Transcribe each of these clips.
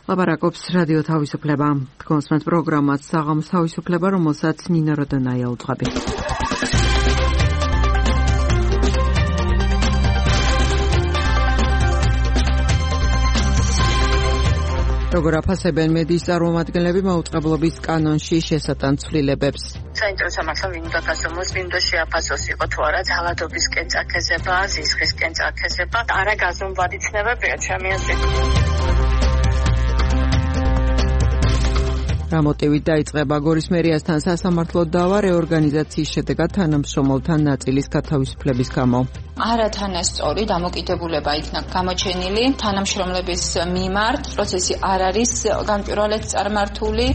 ლაპარაკობს რადიო თავისუფლება. კონსმენთ პროგრამას საღამოს თავისუფლება, რომელსაც ნინა როდონაია უძღვები. როგორ აფასებენ მედიის წარმომადგენლები მაუწყებლობის კანონში შესატან ცვლილებებს? საინტერესო მართლა ვინ უნდა გასცემოს, ვინ უნდა შეაფასოს, იყო თუ არა ძალადობისკენ წაქეზება, ზისხისკენ წაქეზება, არა გაზომვადი ცნებებია ჩემი აზრით. რა მოტივით დაიწყება გორის მერიასთან სასამართლო დავა რეორგანიზაციის შედეგად თანამშრომელთა ნაწილის გათავისუფლების გამო? არათანასწორი დამოკიდებულება იქნა გამოჩენილი თანამშრომლების მიმართ, პროცესი არ არის გამჭვირვალედ წარმართული.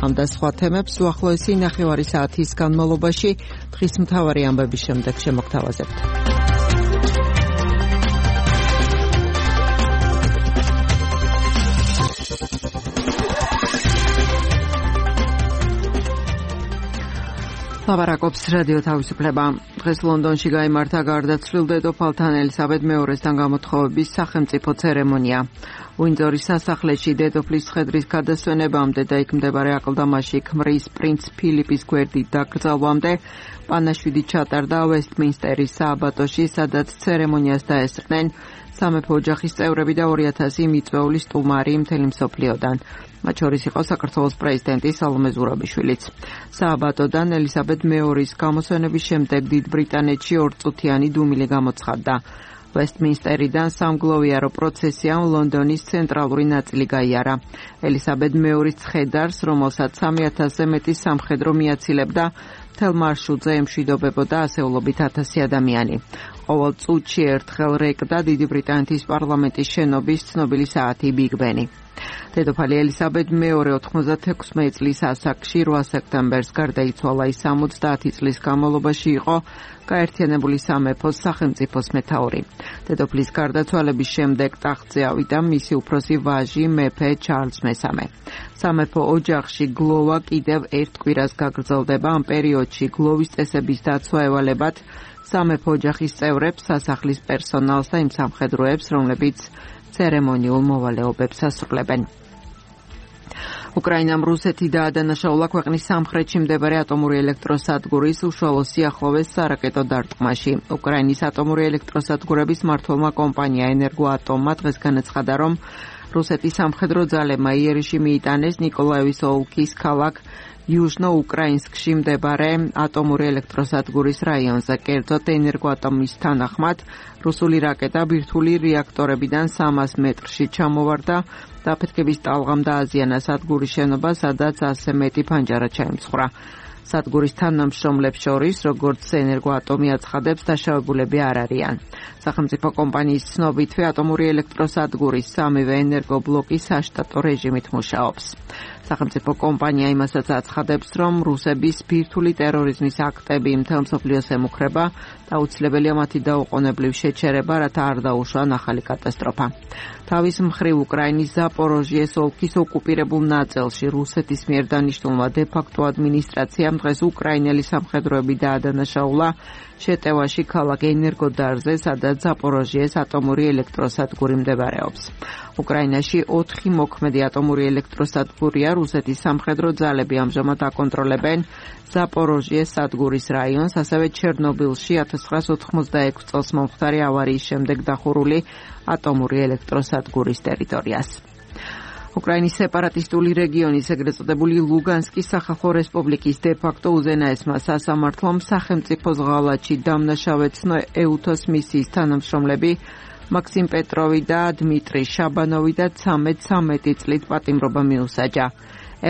ამ და სხვა თემებს უახლოესი ნახევარი საათის განმავლობაში დღის მთავარი ამბების შემდეგ შემოგთავაზებთ. ლაპარაკობს რადიო თავისუფლება. დღეს ლონდონში გაიმართა გარდაცვლილ დედოფალთან ელისაბედ მეორესთან გამოთხოვების სახელმწიფო ცერემონია. უინძორის სასახლეში დედოფლის ცხედრის გადასვენებამდე და იქ მდებარე აკლდამაში ქმრის პრინც ფილიპის გვერდით დაკრძალვამდე პანაშვიდი ჩატარდა ვესტმინსტერის სააბატოში, სადაც ცერემონიას დაესწრნენ სამეფო ოჯახის წევრები და 2000 მიწვეული სტუმარი მთელი მსოფლიოდან. მათ შორის იყო საქართველოს პრეზიდენტი სალომე ზურაბიშვილიც. სააბატოდან ელისაბედ მეორის გამოსვენების შემდეგ დიდ ბრიტანეთში ორწუთიანი დუმილი გამოცხადდა. ვესტმინსტერიდან სამგლოვიარო პროცესიამ ლონდონის ცენტრალური ნაწილი გაიარა. ელისაბედ მეორის ცხედარს, რომელსაც 3000-ზე მეტი სამხედრო მიაცილებდა, მთელ მარშრუტზე ემშვიდობებოდა ასეულობით 1000 ადამიანი. ყოველ წუთში ერთხელ რეკდა დიდი ბრიტანეთის პარლამენტის შენობის ცნობილი საათი ბიგ ბენი. დედოფალი ელისაბედ მეორე 96 წლის ასაკში 8 სექტემბერს გარდაიცვალა. ის 70 წლის განმავლობაში იყო გაერთიანებული სამეფოს სახელმწიფოს მეთაური. დედოფლის გარდაცვალების შემდეგ ტახტზე ავიდა მისი უფროსი ვაჟი მეფე ჩარლზ მესამე. სამეფო ოჯახში გლოვა კიდევ ერთ კვირას გაგრძელდება. ამ პერიოდში გლოვის წესების დაცვა ევალებათ სამეფო ოჯახის წევრებს, სასახლის პერსონალს და იმ სამხედროებს, რომლებიც ცერემონიულ მოვალეობებს ასრულებენ. უკრაინამ რუსეთი დაადანაშაულა ქვეყნის სამხრეთში მდებარე ატომური ელექტროსადგურის უშუალო სიახლოვეს სარაკეტო დარტყმაში. უკრაინის ატომური ელექტროსადგურების მმართველმა კომპანია ენერგოატომმა დღეს განაცხადა, რომ რუსეთის სამხედრო ძალებმა იერიში მიიტანეს ნიკოლაევის ოლქის ქალაქ იუჟნო-უკრაინსკში მდებარე ატომური ელექტროსადგურის რაიონზე. კერძოდ ენერგოატომის თანახმად რუსული რაკეტა ბირთვული რეაქტორებიდან 300 მეტრში ჩამოვარდა. დაფეთქების ტალღამ დააზიანა სადგურის შენობა, სადაც 100 მეტი ფანჯარა ჩაიმცხრა. სადგურის თანამშრომლებს შორის, როგორც ენერგოატომი აცხადებს, დაშავებულები არ არიან. სახელმწიფო კომპანიის ცნობითვე ატომური ელექტროსადგურის სამივე ენერგობლოკი საშტატო რეჟიმით მუშაობს. სახელმწიფო კომპანია იმასაც აცხადებს, რომ რუსების ბირთვული ტერორიზმის აქტები მთელ მსოფლიოს ემუქრება და აუცილებელია მათი დაუყოვნებლივ შეჩერება, რათა არ დაუშვა ახალი კატასტროფა. თავის მხრივ უკრაინის ზაპოროჟიეს ოლქის ოკუპირებულ ნაწილში რუსეთის მიერ დანიშნულმა დე-ფაქტო ადმინისტრაციამ დღეს უკრაინელი სამხედროები დაადანაშაულა შეტევაში ქალაქ ენერგოდარზე, სადაც ზაპოროჟიეს ატომური ელექტროსადგური მდებარეობს. უკრაინაში 4 მოქმედი ატომური ელექტროსადგურია. რუსეთის სამხედრო ძალები ამჟამად აკონტროლებენ ზაპოროჟიეს სადგურის რაიონს, ასევე ჩერნობილში 1986 წელს მომხდარი ავარიის შემდეგ დახურული ატომური ელექტროსადგურის ტერიტორიას. უკრაინის სეპარატისტული რეგიონის ეგრეთ წოდებული ლუგანსკის სახალხო რესპუბლიკის დე-ფაქტო უზენაესმა სასამართლომ სახელმწიფოს ღალატში დამნაშავეცნო ეუთოს მისიის თანამშრომლები მაქსიმ პეტროვი და დმიტრი შაბანოვი და 13 წლით პატიმრობა მიუსაჯა.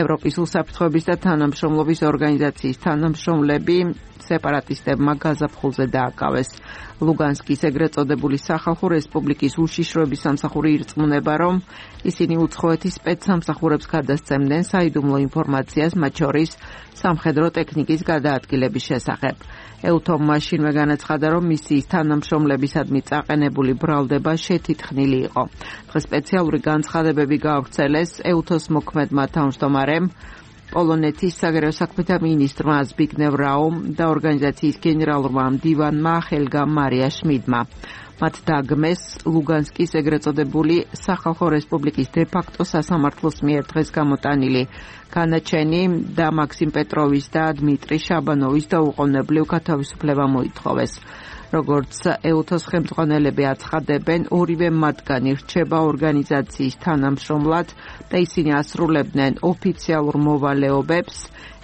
ევროპის უსაფრთხოების და თანამშრომლობის ორგანიზაციის თანამშრომლები სეპარატისტებმა გაზაფხულზე დააკავეს. ლუგანსკის ეგრეთ წოდებული სახალხო რესპუბლიკის უშიშროების სამსახური ირწმუნება, რომ ისინი უცხოეთის სპეცსამსახურებს გადასცემდნენ საიდუმლო ინფორმაციას, მათ შორის სამხედრო ტექნიკის გადაადგილების შესახებ. ეუთომ მაშინვე განაცხადა, რომ მისიის თანამშრომლებისადმი წაყენებული ბრალდება შეთითხნილი იყო. დღეს სპეციალური განცხადებები გაავრცელეს ეუთოს მოქმედმა თავმჯდომარემ პოლონეთის საგარეო საქმეთა მინისტრმა ზბიგნევ რაუმ და ორგანიზაციის გენერალურმა მდივანმა ჰელგა მარია შმიდმა. მათ დაგმეს ლუგანსკის ეგრეთ წოდებული სახალხო რესპუბლიკის დე-ფაქტო სასამართლოს მიერ დღეს გამოტანილი განაჩენი და მაქსიმ პეტროვის და დმიტრი შაბანოვის დაუყოვნებლივ გათავისუფლება მოითხოვეს. როგორც ეუთოს ხელმძღვანელები აცხადებენ, ორივე მათგანი რჩება ორგანიზაციის თანამშრომლად და ისინი ასრულებდნენ ოფიციალურ მოვალეობებს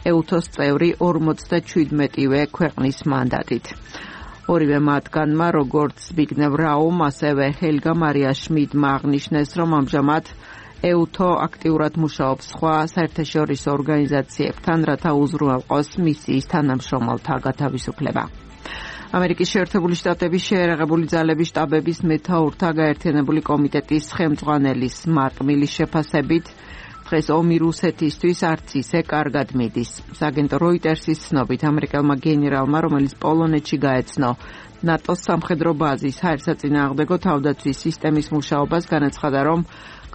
ეუთოს წევრი 57-ვე ქვეყნის მანდატით. ორივე მათგანმა, როგორც ზბიგნევ რაუმ, ასევე ჰელგა მარია შმიდმა აღნიშნეს, რომ ამჟამად ეუთო აქტიურად მუშაობს სხვა საერთაშორისო ორგანიზაციებთან, რათა უზრუნველყოს მისიის თანამშრომელთა გათავისუფლება. ამერიკის შეერთებული შტატების შეერაღებული ძალების შტაბების მეთაურთა გაერთიანებული კომიტეტის ხელმძღვანელის მარკ მილის შეფასებით დღეს ომი რუსეთისთვის არც ისე კარგად მიდის. სააგენტო როიტერსის ცნობით ამერიკელმა გენერალმა, რომელიც პოლონეთში გაეცნო ნატოს სამხედრო ბაზის ჰაერსაწინააღმდეგო თავდაცვის სისტემის მუშაობას, განაცხადა, რომ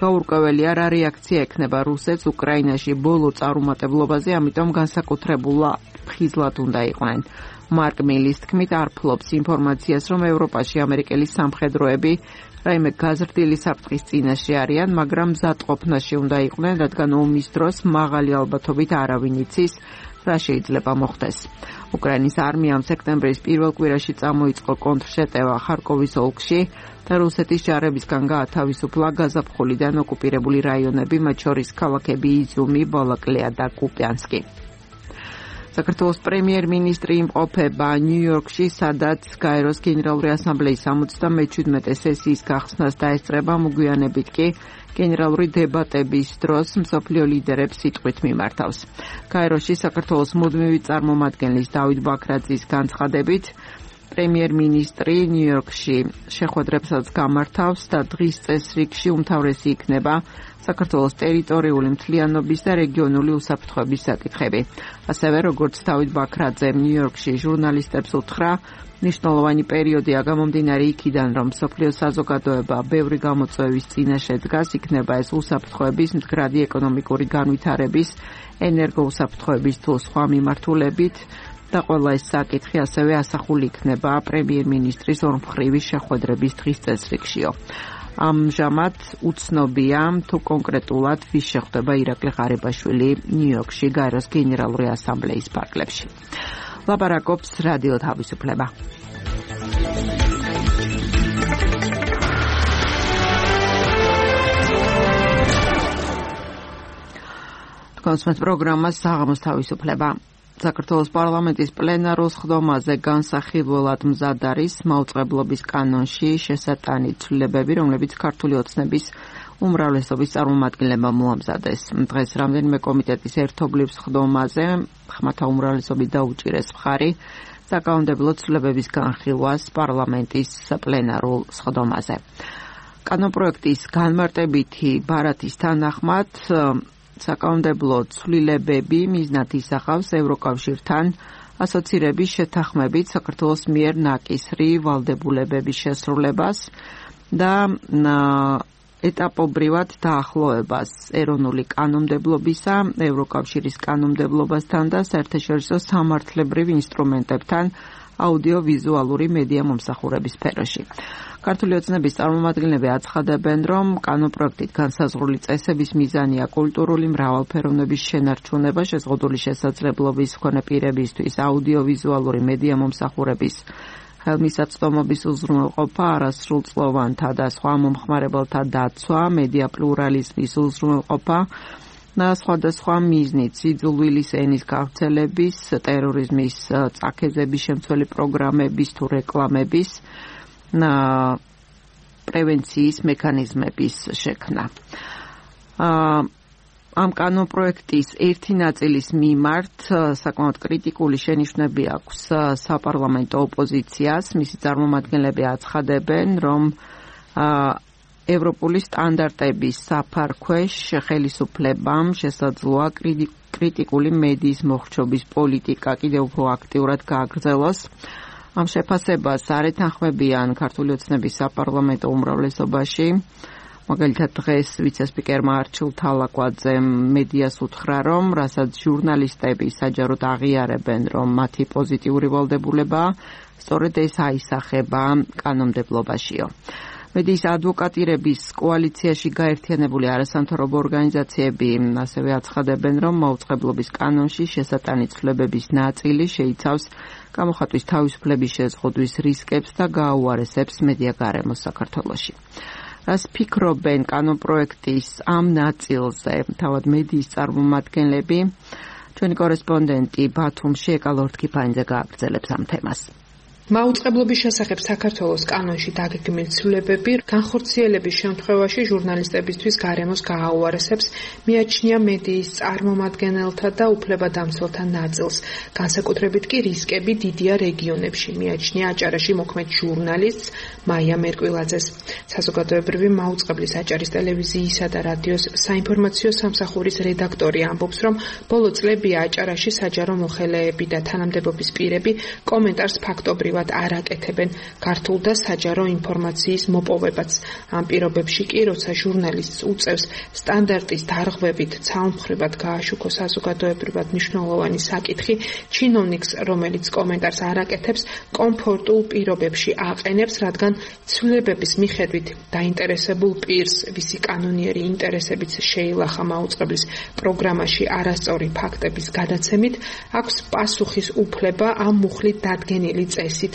გაურკვეველია რა რეაქცია ექნება რუსეთს უკრაინაში ბოლო წარუმატებლობაზე, ამიტომ განსაკუთრებულად ხიზლად უნდა იყვნენ. მარკ მილის თქმით, არ ფლობს ინფორმაციას, რომ ევროპაში ამერიკელი სამხედროები რაიმე გაზრდილი საფრთხის წინაშე არიან, მაგრამ მზადყოფნაში უნდა იყვნენ, რადგან ომის დროს მაღალი ალბათობით არავინ იცის, რა შეიძლება მოხდეს. უკრაინის არმიამ სექტემბრის პირველ კვირაში წამოიწყო კონტრშეტევა ხარკოვის ოლქში და რუსეთის ჯარებისგან გაათავისუფლა გაზაფხულიდან ოკუპირებული რაიონები, მათ შორის ქალაქები იზიუმი, ბალაკლეა და კუპიანსკი. საქართველოს პრემიერ-მინისტრი იმყოფება ნიუ-იორკში, სადაც გაეროს გენერალური ასამბლეის 77 სესიის გახსნას დაესწრება, მოგვიანებით კი გენერალური დებატების დროს მსოფლიო ლიდერებს სიტყვით მიმართავს. გაეროში საქართველოს მუდმივი წარმომადგენლის დავით ბაქრაძის განცხადებით, პრემიერ-მინისტრი ნიუ-იორკში შეხვედრებსაც გამართავს და დღის წესრიგში უმთავრესი იქნება საქართველოს ტერიტორიული მთლიანობის და რეგიონული უსაფრთხოების საკითხები. ასევე, როგორც დავით ბაქრაძემ ნიუ-იორკში ჟურნალისტებს უთხრა, მნიშვნელოვანი პერიოდია გამომდინარე იქიდან, რომ მსოფლიო საზოგადოება ბევრი გამოწვევის წინაშე დგას, იქნება ეს უსაფრთხოების, მდგრადი ეკონომიკური განვითარების, ენერგოუსაფრთხოების თუ სხვა მიმართულებით და ყველა ეს საკითხი ასევე ასახული იქნება პრემიერ-მინისტრის ორმხრივი შეხვედრების დღის წესრიგშიო. ამჟამად უცნობია თუ კონკრეტულად ვის შეხვდება ირაკლი ღარიბაშვილი ნიუ-იორკში გაეროს გენერალური ასამბლეის ფარგლებში. ლაპარაკობს რადიო თავისუფლება. კონსმეთ პროგრამას საღამოს თავისუფლება. საქართველოს პარლამენტის პლენარულ სხდომაზე განსახილველად მზად არის მაუწყებლობის კანონში შესატანი ცვლილებები, რომლებიც ქართული ოცნების უმრავლესობის წარმომადგენლებმა მოამზადეს. დღეს რამდენიმე კომიტეტის ერთობლივ სხდომაზე ხმათა უმრავლესობით დაუჭირეს მხარი საკანონმდებლო ცვლილებების განხილვას პარლამენტის პლენარულ სხდომაზე. კანონპროექტის განმარტებითი ბარათის თანახმად საკანონმდებლო ცვლილებები მიზნად ისახავს ევროკავშირთან ასოცირების შეთანხმებით საქართველოს მიერ ნაკისრი ვალდებულებების შესრულებას და ეტაპობრივად დაახლოებას ეროვნული კანონმდებლობისა, ევროკავშირის კანონმდებლობასთან და საერთაშორისო სამართლებრივ ინსტრუმენტებთან აუდიოვიზუალური მედია მომსახურების სფეროში. ქართული ოცნების წარმომადგენლები აცხადებენ, რომ კანონპროექტით განსაზღვრული წესების მიზანია კულტურული მრავალფეროვნების შენარჩუნება, შეზღუდული შესაძლებლობის მქონე პირებისთვის აუდიოვიზუალური მედია მომსახურების ხელმისაწვდომობის უზრუნველყოფა, არასრულწლოვანთა და სხვა მომხმარებელთა დაცვა, მედია პლურალიზმის უზრუნველყოფა და სხვადასხვა მიზნით სიძულვილის ენის გავრცელების, ტერორიზმის წაქეზების შემცველი პროგრამების თუ რეკლამების პრევენციის მექანიზმების შექმნა. ამ კანონპროექტის ერთი ნაწილის მიმართ საკმაოდ კრიტიკული შენიშვნები აქვს საპარლამენტო ოპოზიციას. მისი წარმომადგენლები აცხადებენ, რომ ევროპული სტანდარტების საფარქვეშ ხელისუფლებამ შესაძლოა კრიტიკული მედიის მოხრჩობის პოლიტიკა კიდევ უფრო აქტიურად გააგრძელოს. ამ შეფასებას არ ეთანხმებიან ქართული ოცნების საპარლამენტო უმრავლესობაში, მაგალითად დღეს ვიცე-სპიკერმა არჩილ თალაკვაძემ მედიას უთხრა, რომ რასაც ჟურნალისტები საჯაროდ აღიარებენ, რომ მათი პოზიტიური ვალდებულებაა, სწორედ ეს აისახება კანონმდებლობაშიო. მედიის ადვოკატირების კოალიციაში გაერთიანებული არასამთავრობო ორგანიზაციები ასევე აცხადებენ, რომ მაუწყებლობის კანონში შესატანი ცვლილებების ნაწილი შეიცავს გამოხატვის თავისუფლების შეზღუდვის რისკებს და გააუარესებს მედია გარემოს საქართველოში. რას ფიქრობენ კანონპროექტის ამ ნაწილზე თავად მედიის წარმომადგენლები? ჩვენი კორესპონდენტი ბათუმში ეკალორთქიფანიძე გააგრძელებს ამ თემას. მაუწყებლობის შესახებ საქართველოს კანონში დაგეგმილი ცვლილებები განხორციელების შემთხვევაში ჟურნალისტებისთვის გარემოს გააუარესებს, მიაჩნია მედიის წარმომადგენელთა და უფლებადამცველთა ნაწილს. განსაკუთრებით კი რისკები დიდია რეგიონებში, მიაჩნია აჭარაში მოქმედ ჟურნალისტს მაია მერკვილაძეს. საზოგადოებრივი მაუწყებლის აჭარის ტელევიზიისა და რადიოს საინფორმაციო სამსახურის რედაქტორი ამბობს, რომ ბოლო წლებია აჭარაში საჯარო მოხელეები და თანამდებობის პირები კომენტარს ფაქტობრივად არ აკეთებენ ქართულ და საჯარო ინფორმაციის მოპოვებაც. ამ პირობებში კი, როცა ჟურნალისტს უწევს სტანდარტის დარღვევით ცალმხრივად გააშუქო საზოგადოებრივად მნიშვნელოვანი საკითხი, ჩინოვნიკს, რომელიც კომენტარს არ აკეთებს, კომფორტულ პირობებში აყენებს, რადგან ცვლილებების მიხედვით დაინტერესებულ პირს, ვისი კანონიერი ინტერესებიც შეილახა მაუწყებლის პროგრამაში არასწორი ფაქტების გადაცემით, აქვს პასუხის უფლება ამ მუხლით დადგენილი წესით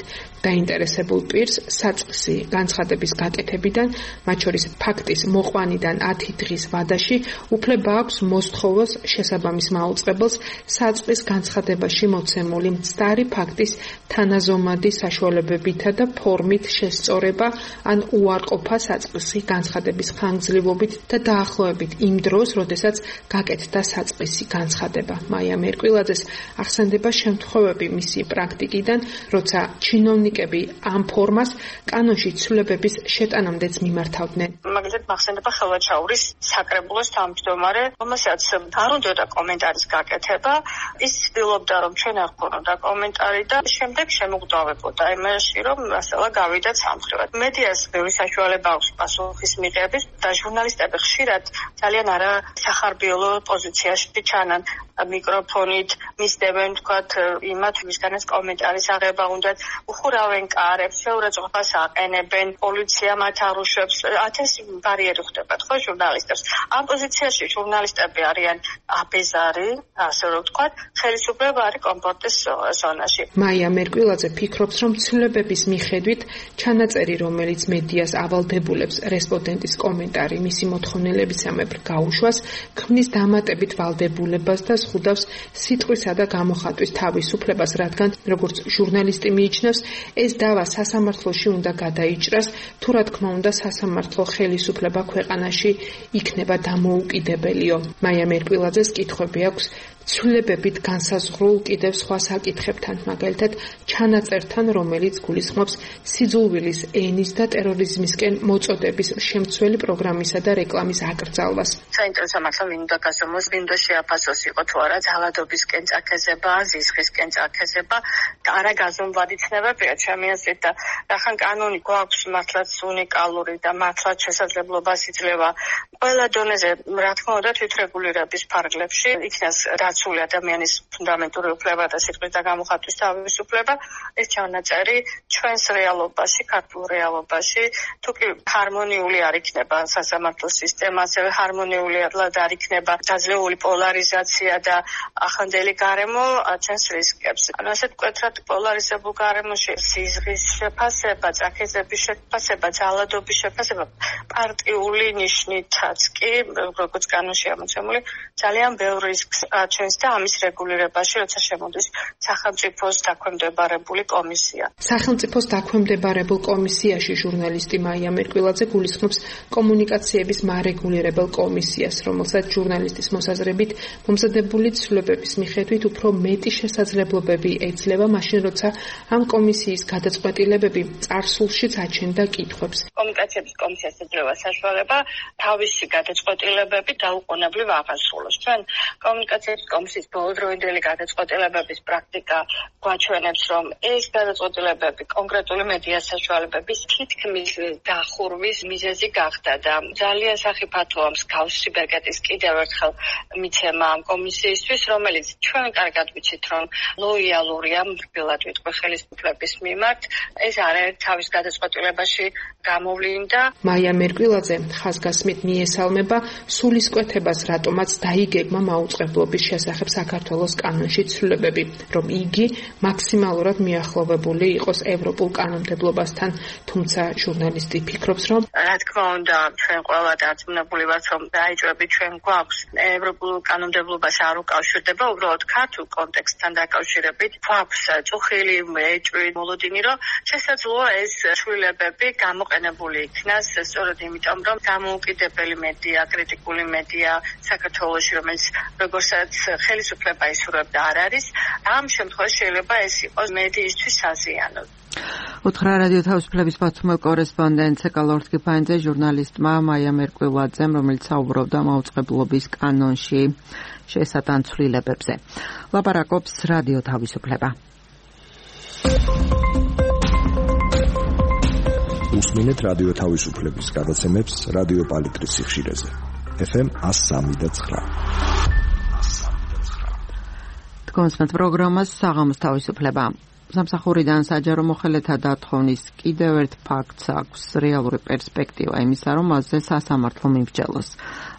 დაინტერესებულ პირს საწყისი განცხადების გაკეთებიდან, მათ შორის ფაქტის მოყვანიდან 10 დღის ვადაში უფლება აქვს მოსთხოვოს შესაბამის მაუწყებელს საწყის განცხადებაში მოცემული მცდარი ფაქტის თანაზომადი საშუალებებითა და ფორმით შესწორება ან უარყოფა საწყისი განცხადების ხანგრძლივობით და დაახლოებით იმ დროს, როდესაც გაკეთდა საწყისი განცხადება. მაია მერკვილაძეს ახსენდება შემთხვევები მისი პრაქტიკიდან, როცა ჩინოვნიკები ამ ფორმას კანონში ცვლილებების შეტანამდეც მიმართავდნენ. მაგალითად მახსენდება ხელვაჩაურის საკრებულოს თავმჯდომარე, რომელსაც არ უნდოდა კომენტარის გაკეთება, ის ცდილობდა, რომ ჩვენ არ გქონოდა კომენტარი და შემდეგ შემოგვდავებოდა იმაში, რომ მასალა გავიდა ცალმხრივად. მედიას ბევრი საშუალება აქვს პასუხის მიღების და ჟურნალისტები ხშირად ძალიან არასახარბიელო პოზიციაში ჩანან. მიკროფონით მისდევენ თქვათ იმათ, ვისგანაც კომენტარის აღება უნდათ, უხურავენ კარებს, შეურაცხყოფას აყენებენ, პოლიცია მათ არუშებს, 1000 ბარიერი ხდებათ ხო ჟურნალისტებს. ამ პოზიციაში ჟურნალისტები არიან აბეზარი, ასე რომ ვთქვათ, ხელისუფლება არის კომფორტის ზონაში. მაია მერკვილაძე ფიქრობს, რომ ცვლილებების მიხედვით ჩანაწერი, რომელიც მედიას ავალდებულებს რესპონდენტის კომენტარი მისი მოთხოვნილებისამებრ გაუშვას, ქმნის დამატებით ვალდებულებას და ზღუდავს სიტყვისა და გამოხატვის თავისუფლებას, რადგან როგორც ჟურნალისტი მიიჩნევს, ეს დავა სასამართლოში უნდა გადაიჭრას, თუ რა თქმა უნდა სასამართლო ხელისუფლება ქვეყანაში იქნება დამოუკიდებელიო. მაია მერკვილაძეს კითხვები აქვს ცვლილებებით განსაზღვრულ კიდევ სხვა საკითხებთან, მაგალითად ჩანაწერთან, რომელიც გულისხმობს სიძულვილის ენის და ტერორიზმისკენ მოწოდების შემცველი პროგრამისა და რეკლამის აკრძალვას. საინტერესო მართლა ვინ უნდა გასცემოს, ვინ უნდა შეაფასოს იყო თუ არა ძალადობისკენ წაქეზება, ზისხისკენ წაქეზება და არა გაზომვადი ცნებებია ჩემი აზრით და რახან კანონი გვაქვს მართლაც უნიკალური და მართლაც შესაძლებლობას იძლევა ყველა დონეზე, რა თქმა უნდა, თვითრეგულირების ფარგლებში იქნას დაცული ადამიანის ფუნდამენტური უფლება და სიტყვის და გამოხატვის თავისუფლება, ეს ჩანაწერი ჩვენს რეალობაში, ქართულ რეალობაში, თუ კი ჰარმონიული არ იქნება სასამართლო სისტემა, ასევე ჰარმონიულად არ იქნება დაძლეული პოლარიზაცია და ახლანდელი გარემო აჩენს რისკებს. ანუ ასეთ მკვეთრად პოლარიზებულ გარემოში სიზღვის შეფასება, წაქეზების შეფასება, ძალადობის შეფასება პარტიული ნიშნითაც კი, როგორც კანონში ამოცემული, ძალიან ბევრ რისკს აჩენს და ამის რეგულირებაში, როცა შემოდის სახელმწიფოს დაქვემდებარებული კომისია. სახელმწიფოს დაქვემდებარებულ კომისიაში ჟურნალისტი მაია მერკვილაძე გულისხმობს კომუნიკაციების მარეგულირებელ კომისიას, რომელსაც ჟურნალისტის მოსაზრებით მომზადებული ცვლილებების მიხედვით უფრო მეტი შესაძლებლობები ეძლევა, მაშინ როცა ამ კომისიის გადაწყვეტილებები წარსულშიც აჩენდა კითხვებს. კომუნიკაციების კომისიას ეძლევა საშუალება თავისი გადაწყვეტილებები დაუყოვნებლივ აღასრულოს. ჩვენ კომუნიკაციების კომისიის ბოლოდროინდელი გადაწყვეტილებების პრაქტიკა გვაჩვენებს, რომ ეს გადაწყვეტილებები კონკრეტული მედია საშუალებების თითქმის დახურვის მიზეზი გახდა და ძალიან სახიფათოა მსგავსი ბეკეტის კიდევ ერთხელ მიცემა ამ კომისიისთვის, რომელიც ჩვენ კარგად ვიცით, რომ ლოიალურია მრბილად ვიტყვი ხელისუფლების მიმართ. ეს არაერთ თავის გადაწყვეტილებაში გამოვლინდა. მაია მერკვილაძე ხაზგასმით მიესალმება სულისკვეთებას, რატომაც დაიგეგმა მაუწყებლობის შესახებ საქართველოს კანონში ცვლილებები, რომ იგი მაქსიმალურად მიახლოვებული იყოს ევროპულ კანონმდებლობასთან, თუმცა ჟურნალისტი ფიქრობს, რომ რა თქმა უნდა, ჩვენ ყველა დარწმუნებული ვართ, რომ დაიჭრები ჩვენ გვაქვს ევროპულ კანონმდებლობას არ უკავშირდება, უბრალოდ ქართულ კონტექსტთან დაკავშირებით გვაქვს წუხილი ეჭვი მოლოდინი, რომ შესაძლოა ეს ცვლილებები გამოყენებული იქნას სწორედ იმიტომ, რომ დამოუკიდებელი მედია, კრიტიკული მედია საქართველოში, რომელიც როგორცაც ხელისუფლება ისურვებდა არ არის, ამ შემთხვევაში შეიძლება ეს იყოს მედიისთვის საზიანო. უთხრა რადიო თავისუფლების პასუხმელ კორესპონდენტ ეკალორსკი ფაინზე ჟურნალისტმა მაია მერკვილაძემ, რომელიც საუბრობდა მაუწყებლობის კანონში შესატან ცვლილებებზე. ლაპარაკობს რადიო თავისუფლება. უსმინეთ რადიო თავისუფლების გადაცემებს რადიო პალიტრის სიხშირეზე. FM 103.9. თქვენს პროგრამას საღამოს თავისუფლება. სამსახურიდან საჯარო მოხელეთა დათხოვნის კიდევ ერთ ფაქტს აქვს რეალური პერსპექტივა იმისა, რომ მასზე სასამართლო მიმსჯელოს.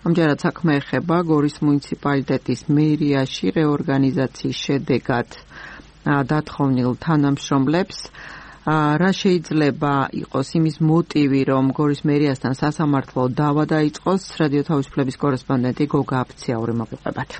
ამჯერად საქმე ეხება გორის მუნიციპალიტეტის მერიაში რეორგანიზაციის შედეგად დათხოვნილ თანამშრომლებს. რა შეიძლება იყოს იმის მოტივი, რომ გორის მერიასთან სასამართლო დავა დაიწყოს? რადიო თავისუფლების კორესპონდენტი გოგა აფციაური მოგიყვებათ.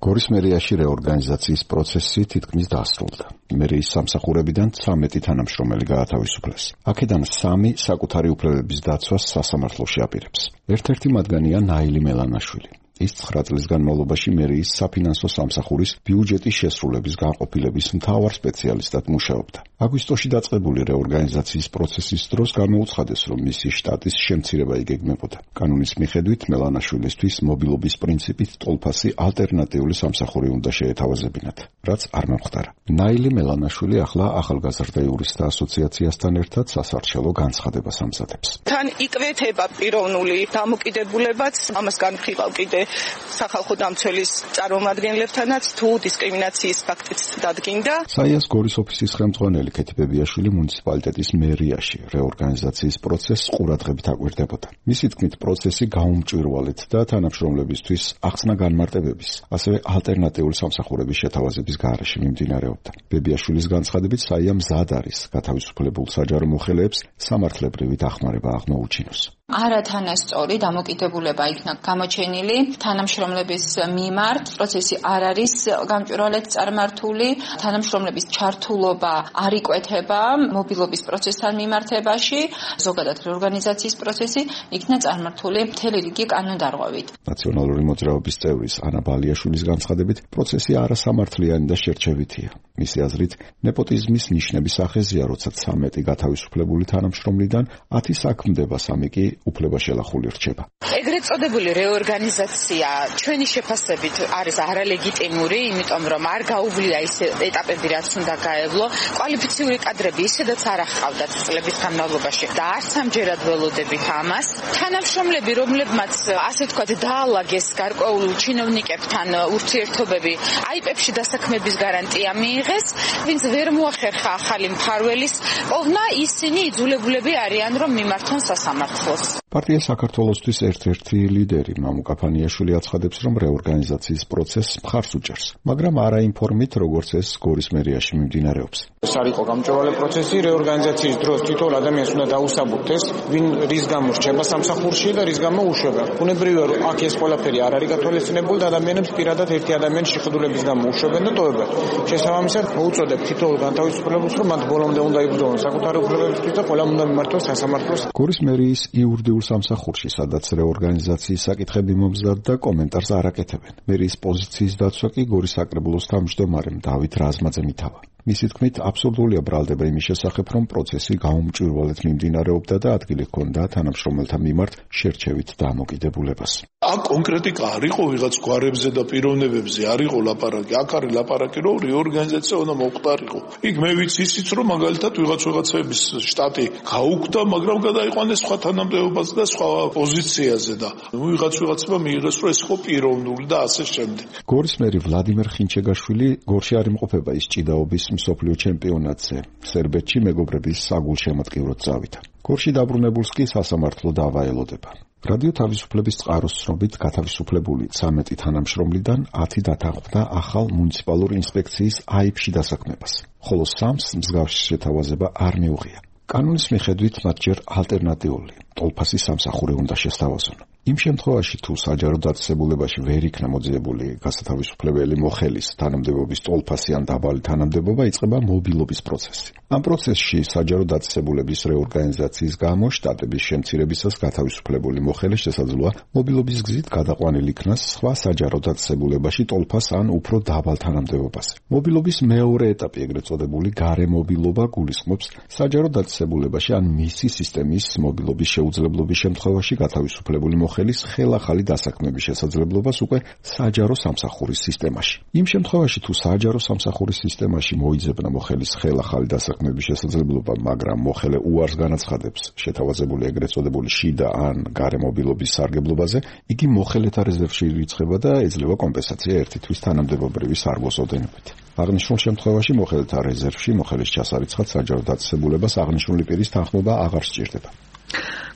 გორის მერიაში რეორგანიზაციის პროცესი თითქმის დასრულდა. მერიის სამსახურებიდან 13 თანამშრომელი გაათავისუფლეს. აქედან 3 საკუთარი უფლებების დაცვას სასამართლოში აპირებს. ერთ-ერთი მათგანია ნაილი მელანაშვილი. ის 9 წლის განმავლობაში მერიის საფინანსო სამსახურის ბიუჯეტის შესრულების განყოფილების მთავარ სპეციალისტად მუშაობდა. აგვისტოში დაწყებული რეორგანიზაციის პროცესის დროს გამოუცხადეს, რომ მისი შტატის შემცირება იგეგმებოდა. კანონის მიხედვით მელანაშვილისთვის მობილობის პრინციპით ტოლფასი ალტერნატიული სამსახური უნდა შეეთავაზებინათ, რაც არ მომხდარა. ნაილი მელანაშვილი ახლა ახალგაზრდა იურისტთა ასოციაციასთან ერთად სასარჩელო განცხადებას ამზადებს. თან იკვეთება პიროვნული დამოკიდებულებაც, ამას განვიხილავ კიდე სახალხო დამცველის წარმომადგენლებთანაც თუ დისკრიმინაციის ფაქტიც დადგინდა. საიას გორის ოფისის ხელმძღვანელი ქეთი ბებიაშვილი მუნიციპალიტეტის მერიაში რეორგანიზაციის პროცესს ყურადღებით აკვირდებოდა. მისი თქმით, პროცესი გაუმჭვირვალეთ და თანამშრომლებისთვის ახსნა განმარტებების, ასევე ალტერნატიული სამსახურების შეთავაზების გარეშე მიმდინარეობდა. ბებიაშვილის განცხადებით, საია მზად არის გათავისუფლებულ საჯარო მოხელეებს სამართლებრივი დახმარება აღმოუჩინოს. არათანასწორი დამოკიდებულება იქნა გამოჩენილი თანამშრომლების მიმართ. პროცესი არ არის გამჭვირვალედ წარმართული. თანამშრომლების ჩართულობა არ იკვეთება მობილობის პროცესთან მიმართებაში. ზოგადად რეორგანიზაციის პროცესი იქნა წარმართული მთელი რიგი კანონდარღვევით. ნაციონალური მოძრაობის წევრის ანა ბალიაშვილის განცხადებით, პროცესი არასამართლიანი და შერჩევითია. მისი აზრით, ნეპოტიზმის ნიშნების სახეზია, როცა 13 გათავისუფლებული თანამშრომლიდან 10 საქმდება, 3 კი უფლება შელახული რჩება. ეგრეთ წოდებული რეორგანიზაცია ჩვენი შეფასებით არის არალეგიტიმური, იმიტომ რომ არ გაუვლია ის ეტაპები, რაც უნდა გაევლო. კვალიფიციური კადრები ისედაც არ აღყავდათ წლების განმავლობაში და არც ამჯერად ველოდებით ამას. თანამშრომლები, რომლებმაც ასე ვთქვათ დაალაგეს გარკვეულ ჩინოვნიკებთან ურთიერთობები, აიპებში დასაქმების გარანტია მიიღეს, ვინც ვერ მოახერხა ახალი მფარველის პოვნა, ისინი იძულებულები არიან, რომ მიმართონ სასამართლოს. პარტია საქართველოსთვის ერთ-ერთი ლიდერი მამუკა ფანიაშვილი აცხადებს, რომ რეორგანიზაციის პროცესს მხარს უჭერს, მაგრამ არა იმ ფორმით, როგორც ეს გორის მერიაში მიმდინარეობს. ეს არ იყო გამჭვირვალე პროცესი, რეორგანიზაციის დროს თითოეულ ადამიანს უნდა დაუსაბუთეს, ვინ რის გამო რჩება სამსახურში და რის გამო უშვება. ბუნებრივია, რომ აქ ეს ყველაფერი არ არის გათვალისწინებული და ადამიანებს პირადად ერთი ადამიანის შეხედულების გამო უშვებენ და ტოვებენ. შესაბამისად, მოუწოდებ თითოეულ განთავისუფლებულს, რომ მათ ბოლომდე უნდა იბრძოლონ საკუთარი უფლებებისთვის და ყველამ უნდა მიმართოს სასამართლოს. გორის მერიის იურიდიულ სამსახურში, სადაც რეორგანიზაციის საკითხები მომზადდა, კომენტარს არ აკეთებენ. მერიის პოზიციის დაცვა კი გორის საკრებულოს თავმჯდომარემ დავით რაზმაძემ ითავა. მისი თქმით, აბსურდულია ბრალდება იმის შესახებ, რომ პროცესი გაუმჭვირვალედ მიმდინარეობდა და ადგილი ჰქონდა თანამშრომელთა მიმართ შერჩევით დამოკიდებულებას. აქ კონკრეტიკა არ იყო ვიღაც გვარებზე და პიროვნებებზე, არ იყო ლაპარაკი, აქ არის ლაპარაკი, რომ რეორგანიზაცია უნდა მოხდარიყო. იქ მე ვიცი ისიც, რომ მაგალითად ვიღაცების შტატი გაუქმდა, მაგრამ გადაიყვანეს სხვა თანამდებობაზე და სხვა პოზიციაზე და ვიღაცმა მიიღეს, რომ ეს ხო პიროვნული და ასე შემდეგ. გორის მერი ვლადიმერ ხინჩეგაშვილი გორში არ იმყოფება ის ჭიდაობის მსოფლიო ჩემპიონატზე. სერბეთში მეგობრების საგულშემატკივროდ წავიდა. გორში დაბრუნებულს კი სასამართლო დავა ელოდება. რადიო თავისუფლების წყაროს ცნობით გათავისუფლებული 13 თანამშრომლიდან 10 დათანხმდა ახალ მუნიციპალურ ინსპექციის აიფში დასაქმებას, ხოლო 3-ს მსგავსი შეთავაზება არ მიუღია. კანონის მიხედვით მათ ჯერ ალტერნატიული ტოლფასი სამსახური უნდა შესთავაზონ. იმ შემთხვევაში, თუ საჯარო დაწესებულებაში ვერ იქნა მოძიებული გასათავისუფლებელი მოხელის თანამდებობის ტოლფასი ან დაბალი თანამდებობა, იწყება მობილობის პროცესი. ამ პროცესში საჯარო დაწესებულების რეორგანიზაციის გამო შტატების შემცირებისას გათავისუფლებული მოხელის შესაძლოა მობილობის გზით გადაყვანილ იქნას სხვა საჯარო დაწესებულებაში ტოლფას ან უფრო დაბალ თანამდებობაზე. მობილობის მეორე ეტაპი, ეგრეთ წოდებული გარემობილობა, გულისხმობს საჯარო დაწესებულებაში ან მისი სისტემის მობილობის შეუძლებლობის შემთხვევაში გათავისუფლებული ხელის ხელახალი დასაქმების შესაძლებლობას უკვე საჯარო სამსახურის სისტემაში. იმ შემთხვევაში, თუ საჯარო სამსახურის სისტემაში მოიძებნა მოხელის ხელახალი დასაქმების შესაძლებლობა, მაგრამ მოხელე უარს განაცხადებს შეთავაზებული ეგრეთ წოდებული შიდა ან გარემობილობის სარგებლობაზე, იგი მოხელეთა რეზერვში ირიცხება და ეძლევა კომპენსაცია ერთი თვის თანამდებობრივი სარგოს ოდენობით. აღნიშნულ შემთხვევაში მოხელეთა რეზერვში მოხელის ჩასარიცხად საჯარო დაწესებულებას აღნიშნული პირის თანხმობა აღარ სჭირდება.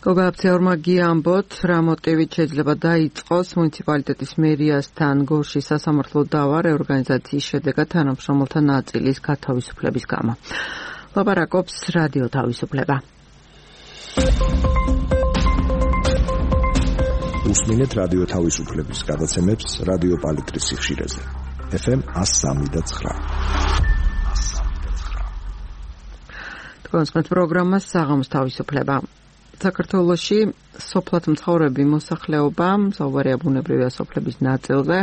გოგაბცეორმა გიამბოთ, რა მოტივით შეიძლება დაიწყოს მუნიციპალიტეტის მერიასთან გორში სასამართლო დავა რეორგანიზაციის შედეგად თანამშრომელთა ნაწილის გათავისუფლების გამო. ლაპარაკობს რადიო თავისუფლება. უსმინეთ რადიო თავისუფლების გადაცემებს რადიო პალიტრის სიხშირეზე. FM 103.9. თქვენს პროგრამას საღამოს თავისუფლება. საქართველოში სოფლად მცხოვრები მოსახლეობა მზოვარია ბუნებრივი ასოფლების ნაწილზე.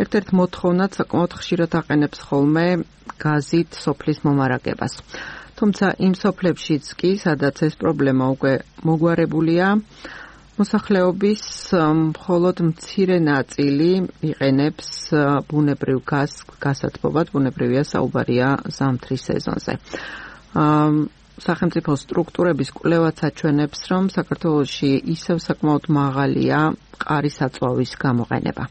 ერთ-ერთ მოთხოვნად საკმაოდ ხშირად აყენებს ხოლმე გაზით სოფლის მომარაგებას. თუმცა იმ სოფლებშიც კი, სადაც ეს პრობლემა უკვე მოგვარებულია, მოსახლეობის მხოლოდ მცირე ნაწილი იყენებს ბუნებრივ გაზს გასათბობად, ბუნებრივია საუბარია ზამთრის სეზონზე. სახელმწიფო სტრუქტურების კვლევაც აჩვენებს, რომ საქართველოში ისევ საკმაოდ მაღალია მყარი საწვავის გამოყენება.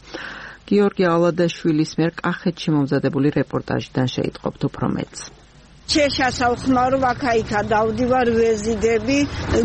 გიორგი ალადაშვილის მიერ კახეთში მომზადებული რეპორტაჟიდან შეიტყობთ უფრო მეტს. შეშასახმარო ვაკაიქა დავდივარ ვეზიდები,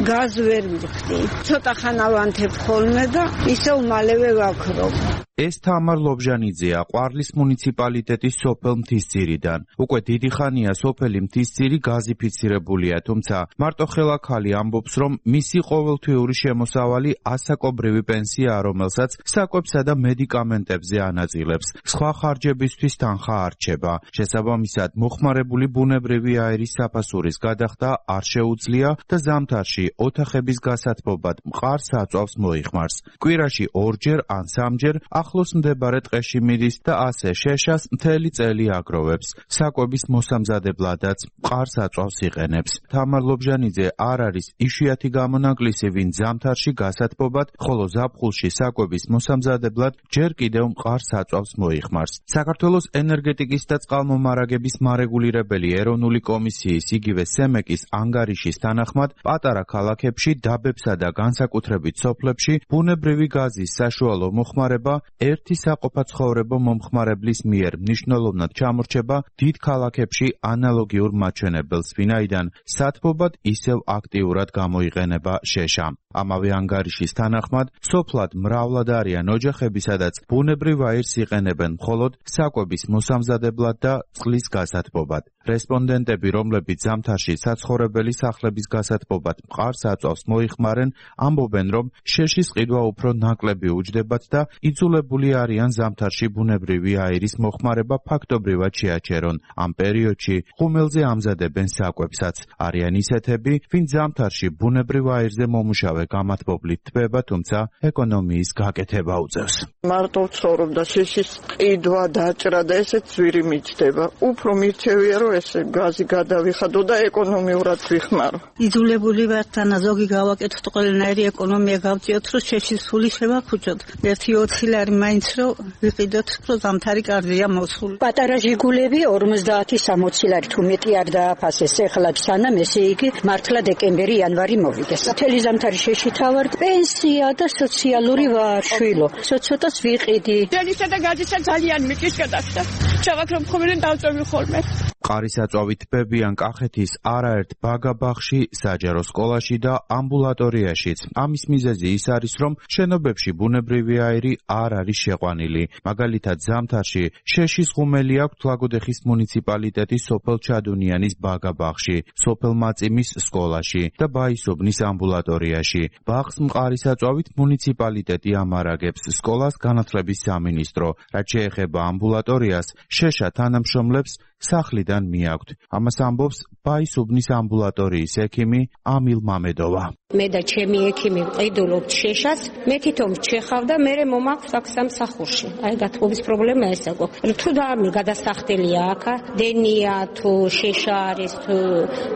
გაზ ვერ მიხდი. ცოტა ხანა ვანთებ ხოლმე და ისევ მალევე ვაქრობ. ეს თამარ ლობჟანიძეა, ყვარლის მუნიციპალიტეტის სოფელ მთისძირიდან. უკვე დიდი ხანია სოფელი მთისძირი გაზიფიცირებულია, თუმცა მარტო ხელაქალი ამბობს, რომ მისი ყოველთვიური შემოსავალი ასაკობრივი პენსიაა, რომელსაც საკვებსა და მედიკამენტებზე ანაწილებს. სხვა ხარჯებისთვის თანხა არ რჩება. შესაბამისად, მოხმარებული ბუნებრივი აირის საფასურის გადახდა არ შეუძლია და ზამთარში ოთახების გასათბობად მყარ საწვავს მოიხმარს. კვირაში ორჯერ ან სამჯერ ახლოს მდებარე ტყეში მიდის და ასე შეშას მთელი წელი აგროვებს. საკვების მოსამზადებლადაც მყარ საწვავს იყენებს. თამარ ლობჟანიძე არ არის იშვიათი გამონაკლისი, ვინ ზამთარში გასათბობად, ხოლო ზაფხულში საკვების მოსამზადებლად ჯერ კიდევ მყარ საწვავს მოიხმარს. საქართველოს ენერგეტიკის და წყალმომარაგების მარეგულირებელი ეროვნული კომისიის, იგივე სემეკის ანგარიშის თანახმად, პატარა ქალაქებში, დაბებსა და განსაკუთრებით სოფლებში ბუნებრივი გაზის საშუალო მოხმარება ერთი საყოფაცხოვრებო მომხმარებლის მიერ მნიშვნელოვნად ჩამორჩება დიდ ქალაქებში ანალოგიურ მაჩვენებელს, ვინაიდან სათბობად ისევ აქტიურად გამოიყენება შეშა. ამავე ანგარიშის თანახმად, სოფლად მრავლად არიან ოჯახები, სადაც ბუნებრივ აირს იყენებენ მხოლოდ საკვების მოსამზადებლად და წყლის გასათბობად. რესპონდენტები, რომლებიც ზამთარში საცხოვრებელი სახლების გასათბობად მყარ საწვავს მოიხმარენ, ამბობენ, რომ შეშის ყიდვა უფრო ნაკლები უჯდებათ და იძულება იძულებული არიან ზამთარში ბუნებრივი აირის მოხმარება ფაქტობრივად შეაჩერონ. ამ პერიოდში ღუმელზე ამზადებენ საკვებსაც. არიან ისეთები, ვინც ზამთარში ბუნებრივ აირზე მომუშავე გამათბობლით თბება, თუმცა ეკონომიის გაკეთება უწევს. მარტო ვცხოვრობ და შეშის ყიდვა, დაჭრა და ესეც ძვირი მიჩდება. უფრო მირჩევია, რომ ესე გაზი გადავიხადო და ეკონომიურად ვიხმარო. იძულებული ვარ თანა ზოგი გავაკეთოთ ყველანაირი ეკონომია გავწიოთ, რომ შეშის სული შევაფუჭოთ. 1.20 ლარი მაინც რომ ვიყიდოთ, რომ ზამთარი კარგია მოსული. პატარა ჟიგულები 50-60 ლარი თუ მეტი არ დააფასეს ეხლა სანამ ესე იგი მართლა დეკემბერი იანვარი მოვიდეს. მთელი ზამთარი შეშითა ვარ, პენსია და სოციალური ვარ, შვილო. ცოტას ვიყიდი. დენისა და გაძისა ძალიან მიკის გადახდა. ჩავაქრო მხოლოდ დავწევი ხოლმე. ყარისაწვავით ბებიან კახეთის არაერთ ბაგაბაღში, საჯარო სკოლაში და ამბულატორიაშიც. ამის მიზეზი ის არის, რომ შენობებში ბუნებრივი აირი არ არის შეყვანილი. მაგალითად, ზამთარში შეშის ღუმელი აქვთ ლაგოდეხის მუნიციპალიტეტის სოფელ ჩადუნიანის ბაგაბაღში, სოფელ მაწიმის სკოლაში და ბაისობნის ამბულატორიაში. ბაღს მყარისაწვავით მუნიციპალიტეტი ამარაგებს, სკოლას განათლების სამინისტრო. რაც შეეხება ამბულატორიას, შეშა თანამშრომლებს სახლიდან მიაქვთ. ამას ამბობს ბაისუბნის ამბულატორიის ექიმი ამილ მამედოვა. მე და ჩემი ექიმი ვყიდულობთ შეშას, მე თვითონ ვჩეხავ და მე მომაქვს აქ სამსახურში. აი გათბობის პრობლემა ესა გვაქვს. თუ დამი გადასახდელია აქ, დენია თუ შეშა არის თუ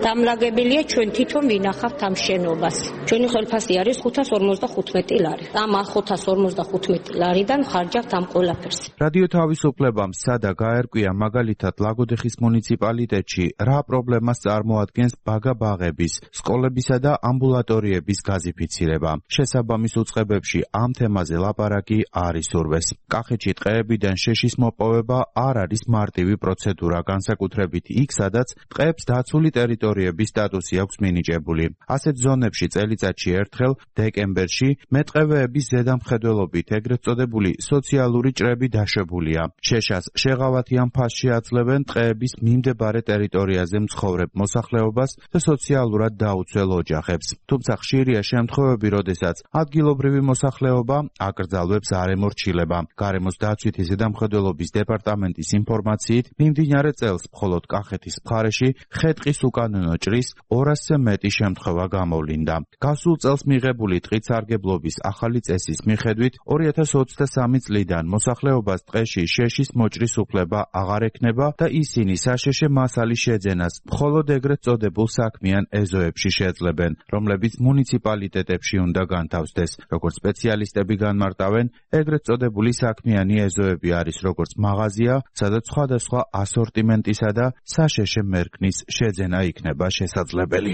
დამლაგებელია, ჩვენ თვითონ ვინახავთ ამ შენობას. ჩვენი ხელფასი არის 555 ლარი. ამ 555 ლარიდან ხარჯავთ ამ ყველაფერს. რადიო თავისუფლებამ სადა გაერკვია მაგალითად ლაგოდეხის მუნიციპალიტეტში რა პრობლემას წარმოადგენს ბაგაბაღების, სკოლებისა და ამბულატორიების გაზიფიცირება. შესაბამის უწყებებში ამ თემაზე ლაპარაკი არ ისურვეს. კახეთში ტყეებიდან შეშის მოპოვება არ არის მარტივი პროცედურა, განსაკუთრებით იქ, სადაც ტყეებს დაცული ტერიტორიების სტატუსი აქვს მინიჭებული. ასეთ ზონებში წელიწადში ერთხელ დეკემბერში მეტყევეების ზედამხედველობით ეგრეთ წოდებული სოციალური ჭრები დაშვებულია. შეშას შეღავათიან ფასში აძლევენ ტყეების მიმდებარე ტერიტორიაზე მცხოვრებ მოსახლეობას და სოციალურად დაუცველ ოჯახებს. თუმცა ხშირია შემთხვევები, როდესაც ადგილობრივი მოსახლეობა აკრძალვებს არ ემორჩილება. გარემოს დაცვითი ზედამხედველობის დეპარტამენტის ინფორმაციით, მიმდინარე წელს მხოლოდ კახეთის მხარეში ხე-ტყის უკანონო ჭრის 200-ზე მეტი შემთხვევა გამოვლინდა. გასულ წელს მიღებული ტყით სარგებლობის ახალი წესის მიხედვით 2023 წლიდან მოსახლეობას ტყეში შეშის მოჭრის უფლება აღარ ექნება და ისინი საშეშე მასალის შეძენას მხოლოდ ეგრეთ წოდებულ საქმიან ეზოებში შეძლებენ, რომლებიც მუნიციპალიტეტებში უნდა განთავსდეს. როგორც სპეციალისტები განმარტავენ, ეგრეთ წოდებული საქმიანი ეზოები არის როგორც მაღაზია, სადაც სხვადასხვა ასორტიმენტისა და საშეშე მერქნის შეძენა იქნება შესაძლებელი.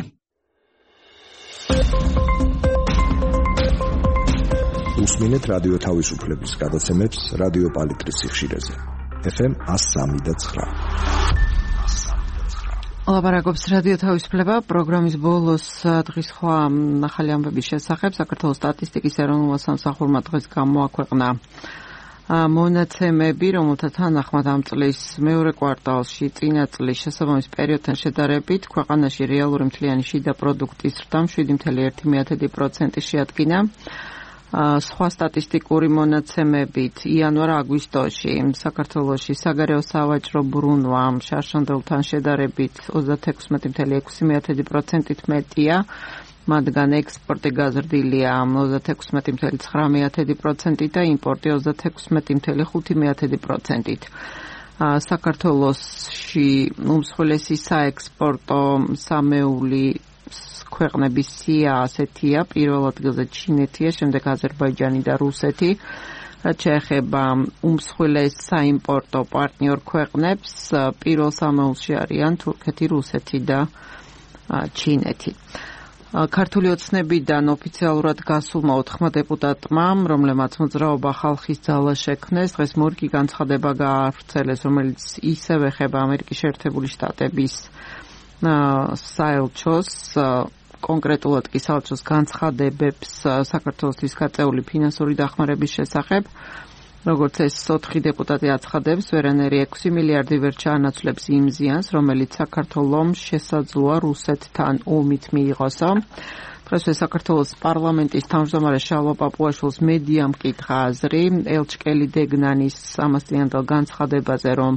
უსმინეთ რადიო თავისუფლების გადაცემებს რადიო პალიტრის სიხშირეზე. FM 103.9. ლაპარაკობს რადიო თავისუფლება. პროგრამის ბოლოს დღის ხვა ახალი ამბების შესახებ საქართველოს სტატისტიკის ეროვნულმა სამსახურმა დღეს გამოაქვეყნა მონაცემები, რომელთა თანახმად ამ წლის მეორე კვარტალში წინა წლის შესაბამის პერიოდთან შედარებით ქვეყანაში რეალური მთლიანი შიდა პროდუქტის ზრდა 7.1% შეადგინა. სხვა სტატისტიკური მონაცემებით იანვარ-აგვისტოში საქართველოში საგარეო სავაჭრო ბრუნვა შარშანდელთან შედარებით 36.6%-ით მეტია, მათგან ექსპორტი გაზრდილია 36.9%-ით და იმპორტი 36.5%-ით. საქართველოში უმსხვილესი საექსპორტო სამეული ქვეყნების სია ასეთია, პირველ ადგილზე ჩინეთია, შემდეგ აზერბაიჯანი და რუსეთი. რაც შეეხება უმსხვილეს საიმპორტო პარტნიორ ქვეყნებს, პირველ სამეულში არიან თურქეთი, რუსეთი და ჩინეთი. ქართული ოცნებიდან ოფიციალურად გასულმა 4 დეპუტატმა, რომლებმაც მოძრაობა ხალხის ძალა შექმნეს, დღეს მორგი განცხადება გაავრცელეს, რომელიც ისევ ეხება ამერიკის შეერთებული შტატების საელჩოს, კონკრეტულად კი საელჩოს განცხადებებს საქართველოსთვის გაწეული ფინანსური დახმარების შესახებ. როგორც ეს 4 დეპუტატი აცხადებს, ვერანაირი 6 მილიარდი ვერ ჩაანაცვლებს იმ ზიანს, რომელიც საქართველოს შესაძლოა რუსეთთან ომით მიიღოსო. დღეს საქართველოს პარლამენტის თავმჯდომარე შალვა პაპუაშვილს მედიამ მკითხა აზრი ელჩკელი დეგნანის ამასწინებელ განცხადებაზე, რომ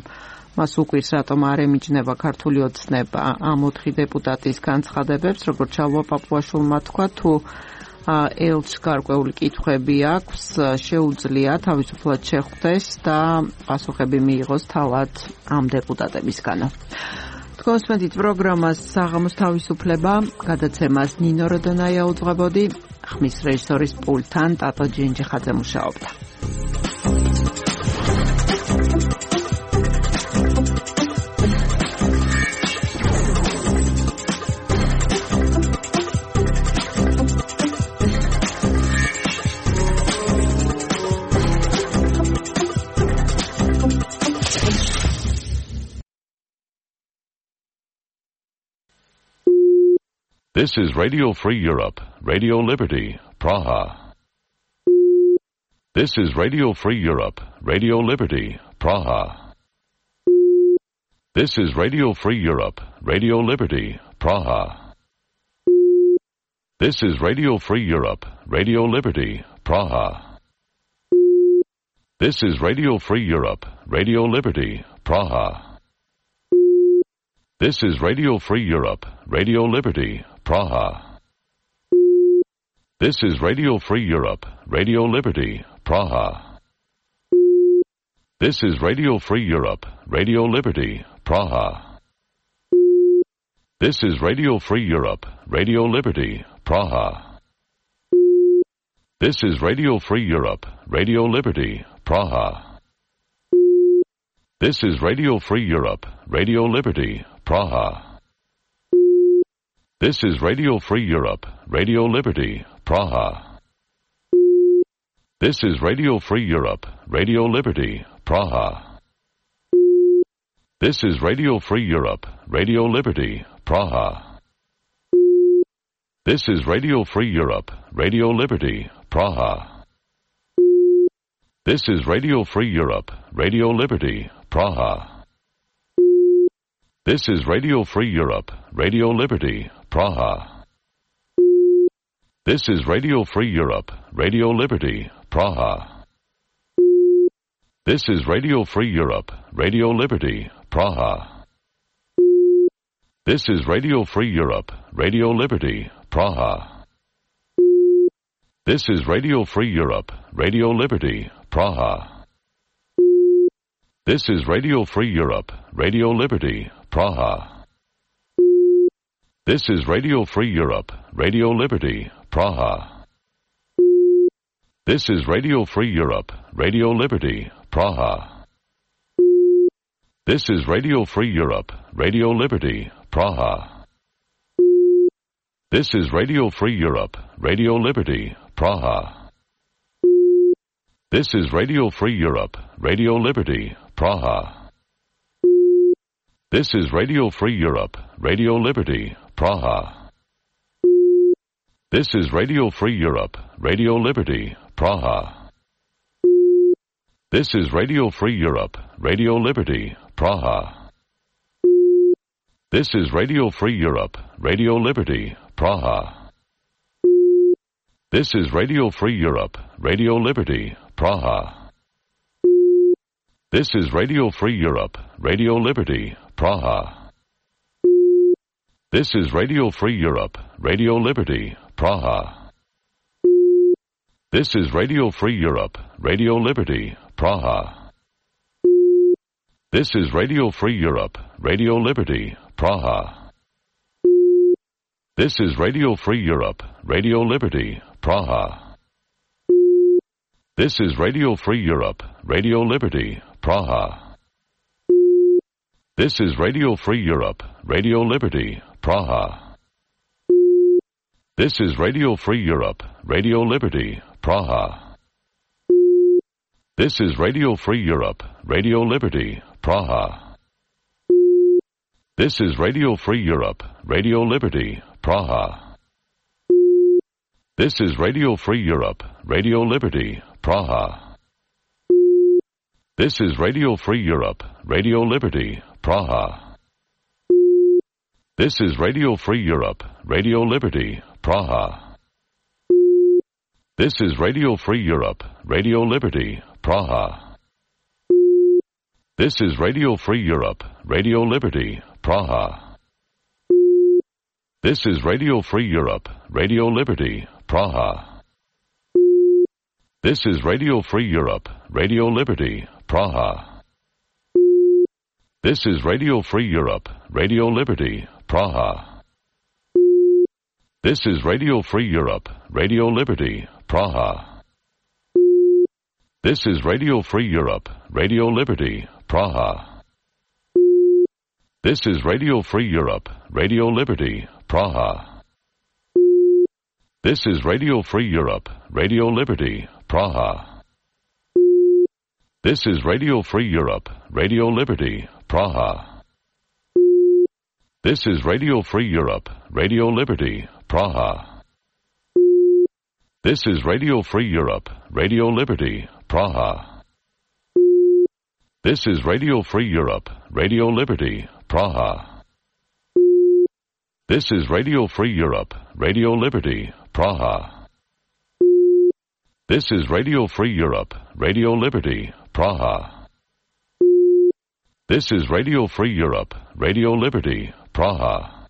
მას უკვირს რატომ არ ემიჯნება ქართული ოცნება ამ 4 დეპუტატის განცხადებებს, როგორც შალვა პაპუაშვილმა თქვა, თუ ელჩს გარკვეული კითხვები აქვს, შეუძლია თავისუფლად შეხვდეს და პასუხები მიიღოს თავად ამ დეპუტატებისგანო. Თქვენს პროგრამას საღამოს თავისუფლება გადაცემას ნინო როდონაია უძღვებოდი, ხმის რეჟისორის პულტთან ტატო ჯინჯიხაძე მუშაობდა. This is Radio Free Europe, Radio Liberty, Praha. This is Radio Free Europe, Radio Liberty, Praha. This is Radio Free Europe, Radio Liberty, Praha. This is Radio Free Europe, Radio Liberty, Praha. This is Radio Free Europe, Radio Liberty, Praha. This is Radio Free Europe, Radio Liberty, Praha. This is Radio Free Europe, Radio Liberty, Praha. This is Radio Free Europe, Radio Liberty, Praha. This is Radio Free Europe, Radio Liberty, Praha. This is Radio Free Europe, Radio Liberty, Praha. This is Radio Free Europe, Radio Liberty, Praha. This is Radio Free Europe, Radio Liberty, Praha. This is Radio Free Europe, Radio Liberty, Praha. This is Radio Free Europe, Radio Liberty, Praha. This is Radio Free Europe, Radio Liberty, Praha. This is Radio Free Europe, Radio Liberty, Praha. This is Radio Free Europe, Radio Liberty, Praha. This is Radio Free Europe, Radio Liberty, Praha. This is Radio Free Europe, Radio Liberty, Praha. This is Radio Free Europe, Radio Liberty, Praha. This is Radio Free Europe, Radio Liberty, Praha. This is Radio Free Europe, Radio Liberty, Praha. This is Radio Free Europe, Radio Liberty, Praha. This is Radio Free Europe, Radio Liberty, Praha. This is Radio Free Europe, Radio Liberty, Praha. This is Radio Free Europe, Radio Liberty, Praha. This is Radio Free Europe, Radio Liberty, Praha. This is Radio Free Europe, Radio Liberty, Praha. This is Radio Free Europe, Radio Liberty, Praha. This is Radio Free Europe, Radio Liberty, Praha. This is Radio Free Europe, Radio Liberty, Praha. This is Radio Free Europe, Radio Liberty, Praha. This is Radio Free Europe, Radio Liberty, Praha. This is Radio Free Europe, Radio Liberty, Praha. This is Radio Free Europe, Radio Liberty, Praha. This is Radio Free Europe, Radio Liberty, Praha. This is Radio Free Europe, Radio Liberty, Praha. This is Radio Free Europe, Radio Liberty, Praha. This is Radio Free Europe, Radio Liberty, Praha. This is Radio Free Europe, Radio Liberty, Praha. This is Radio Free Europe, Radio Liberty, Praha. This is Radio Free Europe, Radio Liberty, Praha. This is Radio Free Europe, Radio Liberty, Praha. This is Radio Free Europe, Radio Liberty, Praha. This is Radio Free Europe, Radio Liberty, Praha. This is Radio Free Europe, Radio Liberty, Praha. This is Radio Free Europe, Radio Liberty, Praha. This is Radio Free Europe, Radio Liberty, Praha. This is Radio Free Europe, Radio Liberty, Praha. This is Radio Free Europe, Radio Liberty, Praha. This is Radio Free Europe, Radio Liberty, Praha. This is Radio Free Europe, Radio Liberty, Praha. This is Radio Free Europe, Radio Liberty, Praha. This is Radio Free Europe, Radio Liberty, Praha. This is Radio Free Europe, Radio Liberty, Praha. This is Radio Free Europe, Radio Liberty, Praha. This is Radio Free Europe, Radio Liberty, Praha. This is Radio Free Europe, Radio Liberty, Praha. This is Radio Free Europe, Radio Liberty, Praha. This is Radio Free Europe, Radio Liberty, Praha. This is Radio Free Europe, Radio Liberty, Praha.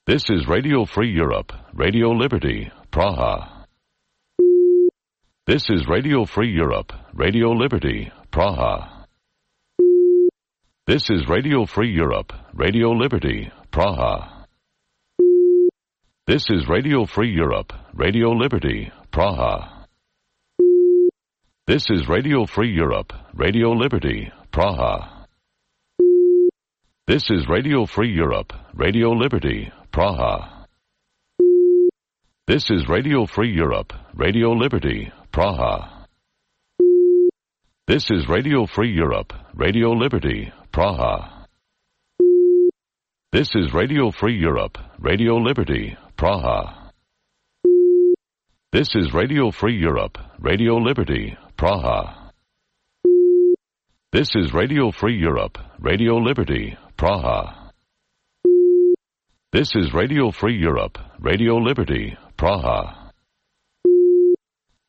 This is Radio Free Europe, Radio Liberty, Praha. This is Radio Free Europe, Radio Liberty, Praha. This is Radio Free Europe, Radio Liberty, Praha. This is Radio Free Europe, Radio Liberty, Praha. This is Radio Free Europe, Radio Liberty, Praha. This is Radio Free Europe, Radio Liberty, Praha. This is Radio Free Europe, Radio Liberty, Praha. This is Radio Free Europe, Radio Liberty, Praha. This is Radio Free Europe, Radio Liberty, Praha. This is Radio Free Europe, Radio Liberty, Praha. This is Radio Free Europe, Radio Liberty, Praha. This is Radio Free Europe, Radio Liberty, Praha.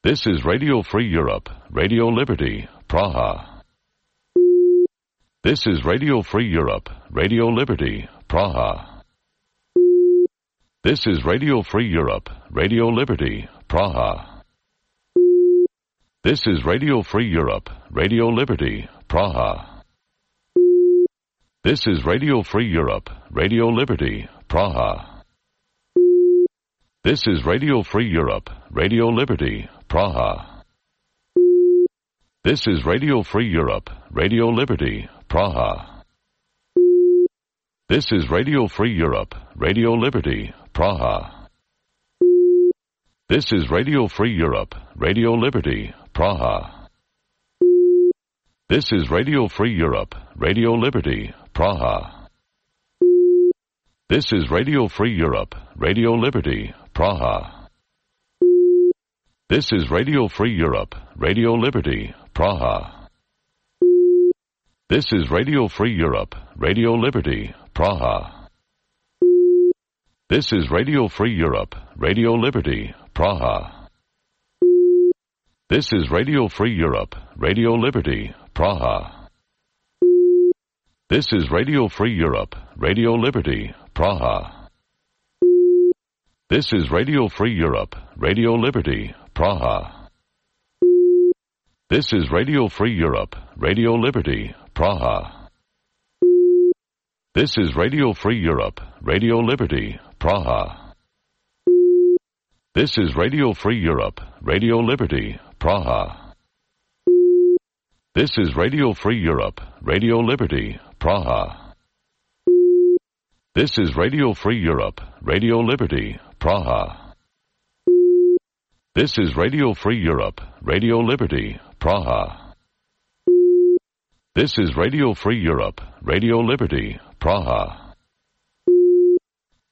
This is Radio Free Europe, Radio Liberty, Praha. This is Radio Free Europe, Radio Liberty, Praha. This is Radio Free Europe, Radio Liberty, Praha. This is Radio Free Europe, Radio Liberty, Praha. This is Radio Free Europe, Radio Liberty, Praha. This is Radio Free Europe, Radio Liberty, Praha. This is Radio Free Europe, Radio Liberty, Praha. This is Radio Free Europe, Radio Liberty, Praha. This is Radio Free Europe, Radio Liberty, Praha. This is Radio Free Europe, Radio Liberty, Praha. This is Radio Free Europe, Radio Liberty, Praha. This is Radio Free Europe, Radio Liberty, Praha. This is Radio Free Europe, Radio Liberty, Praha. This is Radio Free Europe, Radio Liberty, Praha. This is Radio Free Europe, Radio Liberty, Praha. This is Radio Free Europe, Radio Liberty, Praha. This is Radio Free Europe, Radio Liberty, Praha. This is Radio Free Europe, Radio Liberty, Praha. This is Radio Free Europe, Radio Liberty, Praha. This is Radio Free Europe, Radio Liberty, Praha. This is Radio Free Europe, Radio Liberty, Praha. This is Radio Free Europe, Radio Liberty, Praha. This is Radio Free Europe, Radio Liberty, Praha. This is Radio Free Europe, Radio Liberty, Praha.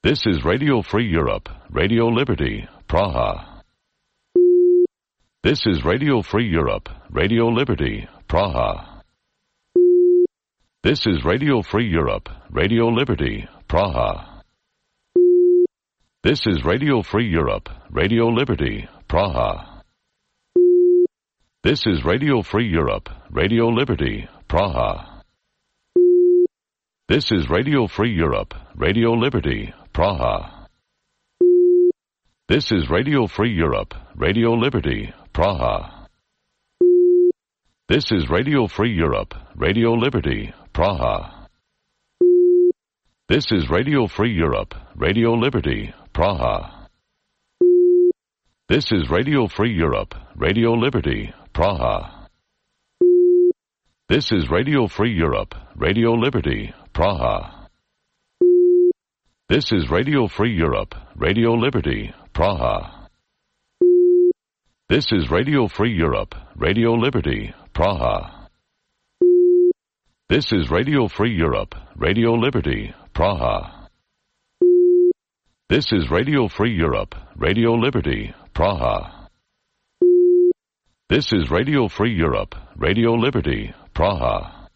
This is Radio Free Europe, Radio Liberty, Praha. This is Radio Free Europe, Radio Liberty, Praha. This is Radio Free Europe, Radio Liberty, Praha. This is Radio Free Europe, Radio Liberty, Praha. This is Radio Free Europe, Radio Liberty, Praha. This is Radio Free Europe, Radio Liberty, Praha. This is Radio Free Europe, Radio Liberty, Praha. This is Radio Free Europe, Radio Liberty, Praha. This is Radio Free Europe, Radio Liberty, Praha. This is Radio Free Europe, Radio Liberty, Praha. This is Radio Free Europe, Radio Liberty, Praha. This is Radio Free Europe, Radio Liberty, Praha. This is Radio Free Europe, Radio Liberty, Praha. This is Radio Free Europe, Radio Liberty, Praha. This is Radio Free Europe, Radio Liberty, Praha. This is Radio Free Europe, Radio Liberty, Praha.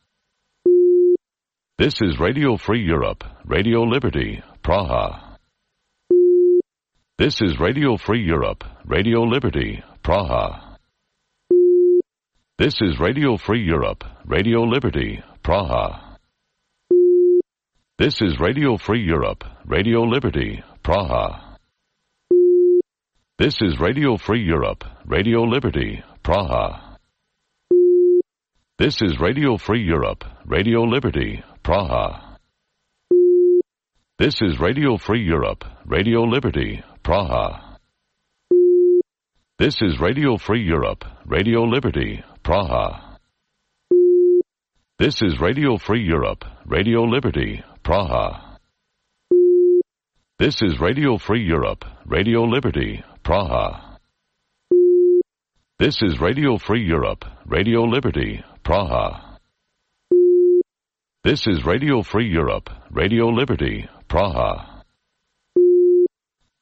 This is Radio Free Europe, Radio Liberty, Praha. This is Radio Free Europe, Radio Liberty, Praha. This is Radio Free Europe, Radio Liberty, Praha. This is Radio Free Europe, Radio Liberty, Praha. This is Radio Free Europe, Radio Liberty, Praha. This is Radio Free Europe, Radio Liberty, Praha. This is Radio Free Europe, Radio Liberty, Praha. This is Radio Free Europe, Radio Liberty, Praha. This is Radio Free Europe, Radio Liberty, Praha. This is Radio Free Europe, Radio Liberty, Praha. This is Radio Free Europe, Radio Liberty, Praha. This is Radio Free Europe, Radio Liberty, Praha.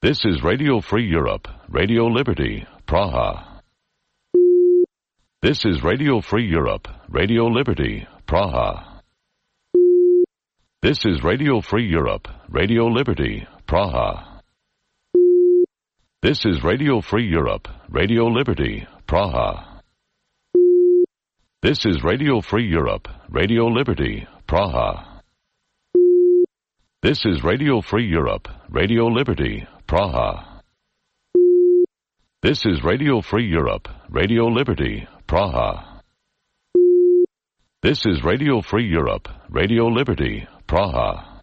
This is Radio Free Europe, Radio Liberty, Praha. This is Radio Free Europe, Radio Liberty, Praha. This is Radio Free Europe, Radio Liberty, Praha. This is Radio Free Europe, Radio Liberty, Praha. This is Radio Free Europe, Radio Liberty, Praha. This is Radio Free Europe, Radio Liberty, Praha. This is Radio Free Europe, Radio Liberty, Praha. This is Radio Free Europe, Radio Liberty, Praha.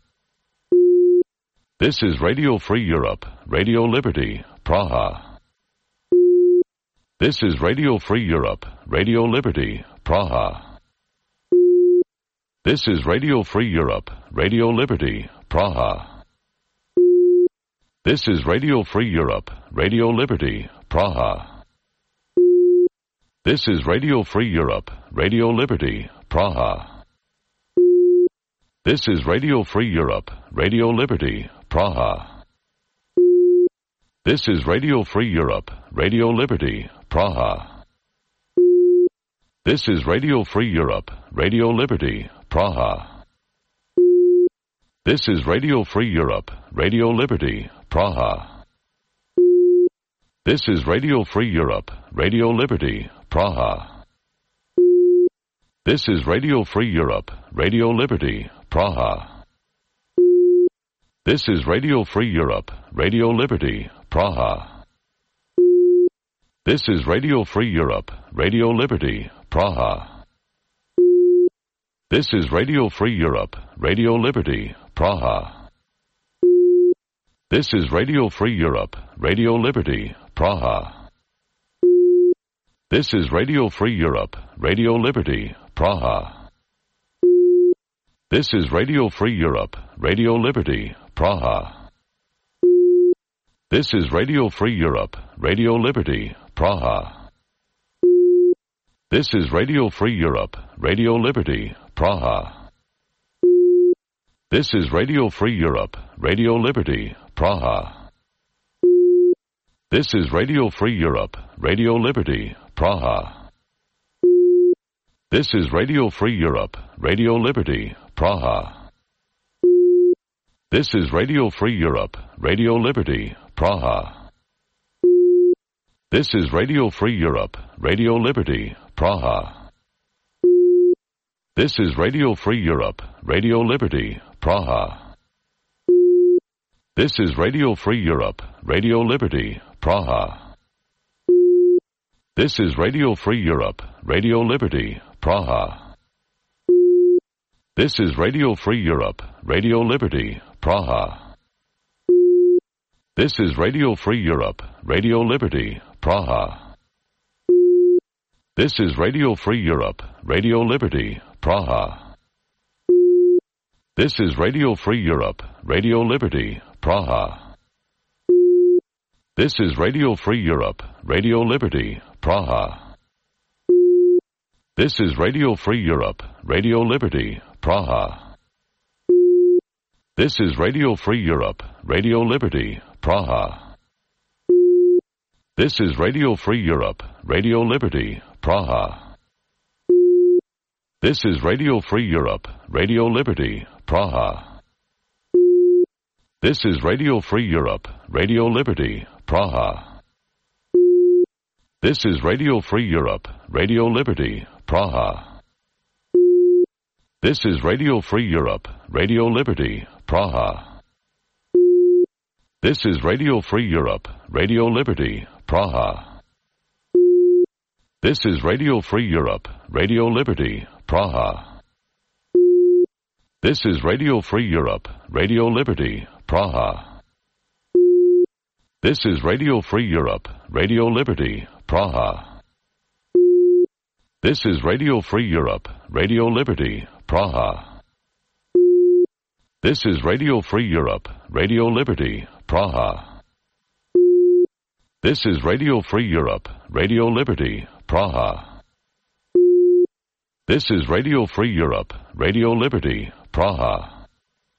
This is Radio Free Europe, Radio Liberty, Praha. This is Radio Free Europe, Radio Liberty, Praha. This is Radio Free Europe, Radio Liberty, Praha. This is Radio Free Europe, Radio Liberty, Praha. This is Radio Free Europe, Radio Liberty, Praha. This is Radio Free Europe, Radio Liberty, Praha. This is Radio Free Europe, Radio Liberty, Praha. This is Radio Free Europe, Radio Liberty, Praha. This is Radio Free Europe, Radio Liberty, Praha. This is Radio Free Europe, Radio Liberty, Praha. This is Radio Free Europe, Radio Liberty, Praha. This is Radio Free Europe, Radio Liberty, Praha. This is Radio Free Europe, Radio Liberty, Praha. This is Radio Free Europe, Radio Liberty, Praha. This is Radio Free Europe, Radio Liberty, Praha. This is Radio Free Europe, Radio Liberty, Praha. This is Radio Free Europe, Radio Liberty, Praha. This is Radio Free Europe, Radio Liberty, Praha. This is Radio Free Europe, Radio Liberty, Praha. This is Radio Free Europe, Radio Liberty, Praha. This is Radio Free Europe, Radio Liberty, Praha. This is Radio Free Europe, Radio Liberty, Praha. This is Radio Free Europe, Radio Liberty, Praha. This is Radio Free Europe, Radio Liberty, Praha. This is Radio Free Europe, Radio Liberty, Praha. This is Radio Free Europe, Radio Liberty, Praha. This is Radio Free Europe, Radio Liberty, Praha. This is Radio Free Europe, Radio Liberty, Praha. This is Radio Free Europe, Radio Liberty, Praha. This is Radio Free Europe, Radio Liberty, Praha. This is Radio Free Europe, Radio Liberty, Praha. This is Radio Free Europe, Radio Liberty, Praha. This is Radio Free Europe, Radio Liberty, Praha. This is Radio Free Europe, Radio Liberty, Praha. This is Radio Free Europe, Radio Liberty, Praha. This is Radio Free Europe, Radio Liberty, Praha. This is Radio Free Europe, Radio Liberty, Praha. This is Radio Free Europe, Radio Liberty, Praha. This is Radio Free Europe, Radio Liberty, Praha. This is Radio Free Europe, Radio Liberty, Praha. This is Radio Free Europe, Radio Liberty, Praha. This is Radio Free Europe, Radio Liberty, Praha. This is Radio Free Europe, Radio Liberty, Praha. This is Radio Free Europe, Radio Liberty, Praha. This is Radio Free Europe, Radio Liberty, Praha. This is Radio Free Europe, Radio Liberty, Praha. This is Radio Free Europe, Radio Liberty, Praha.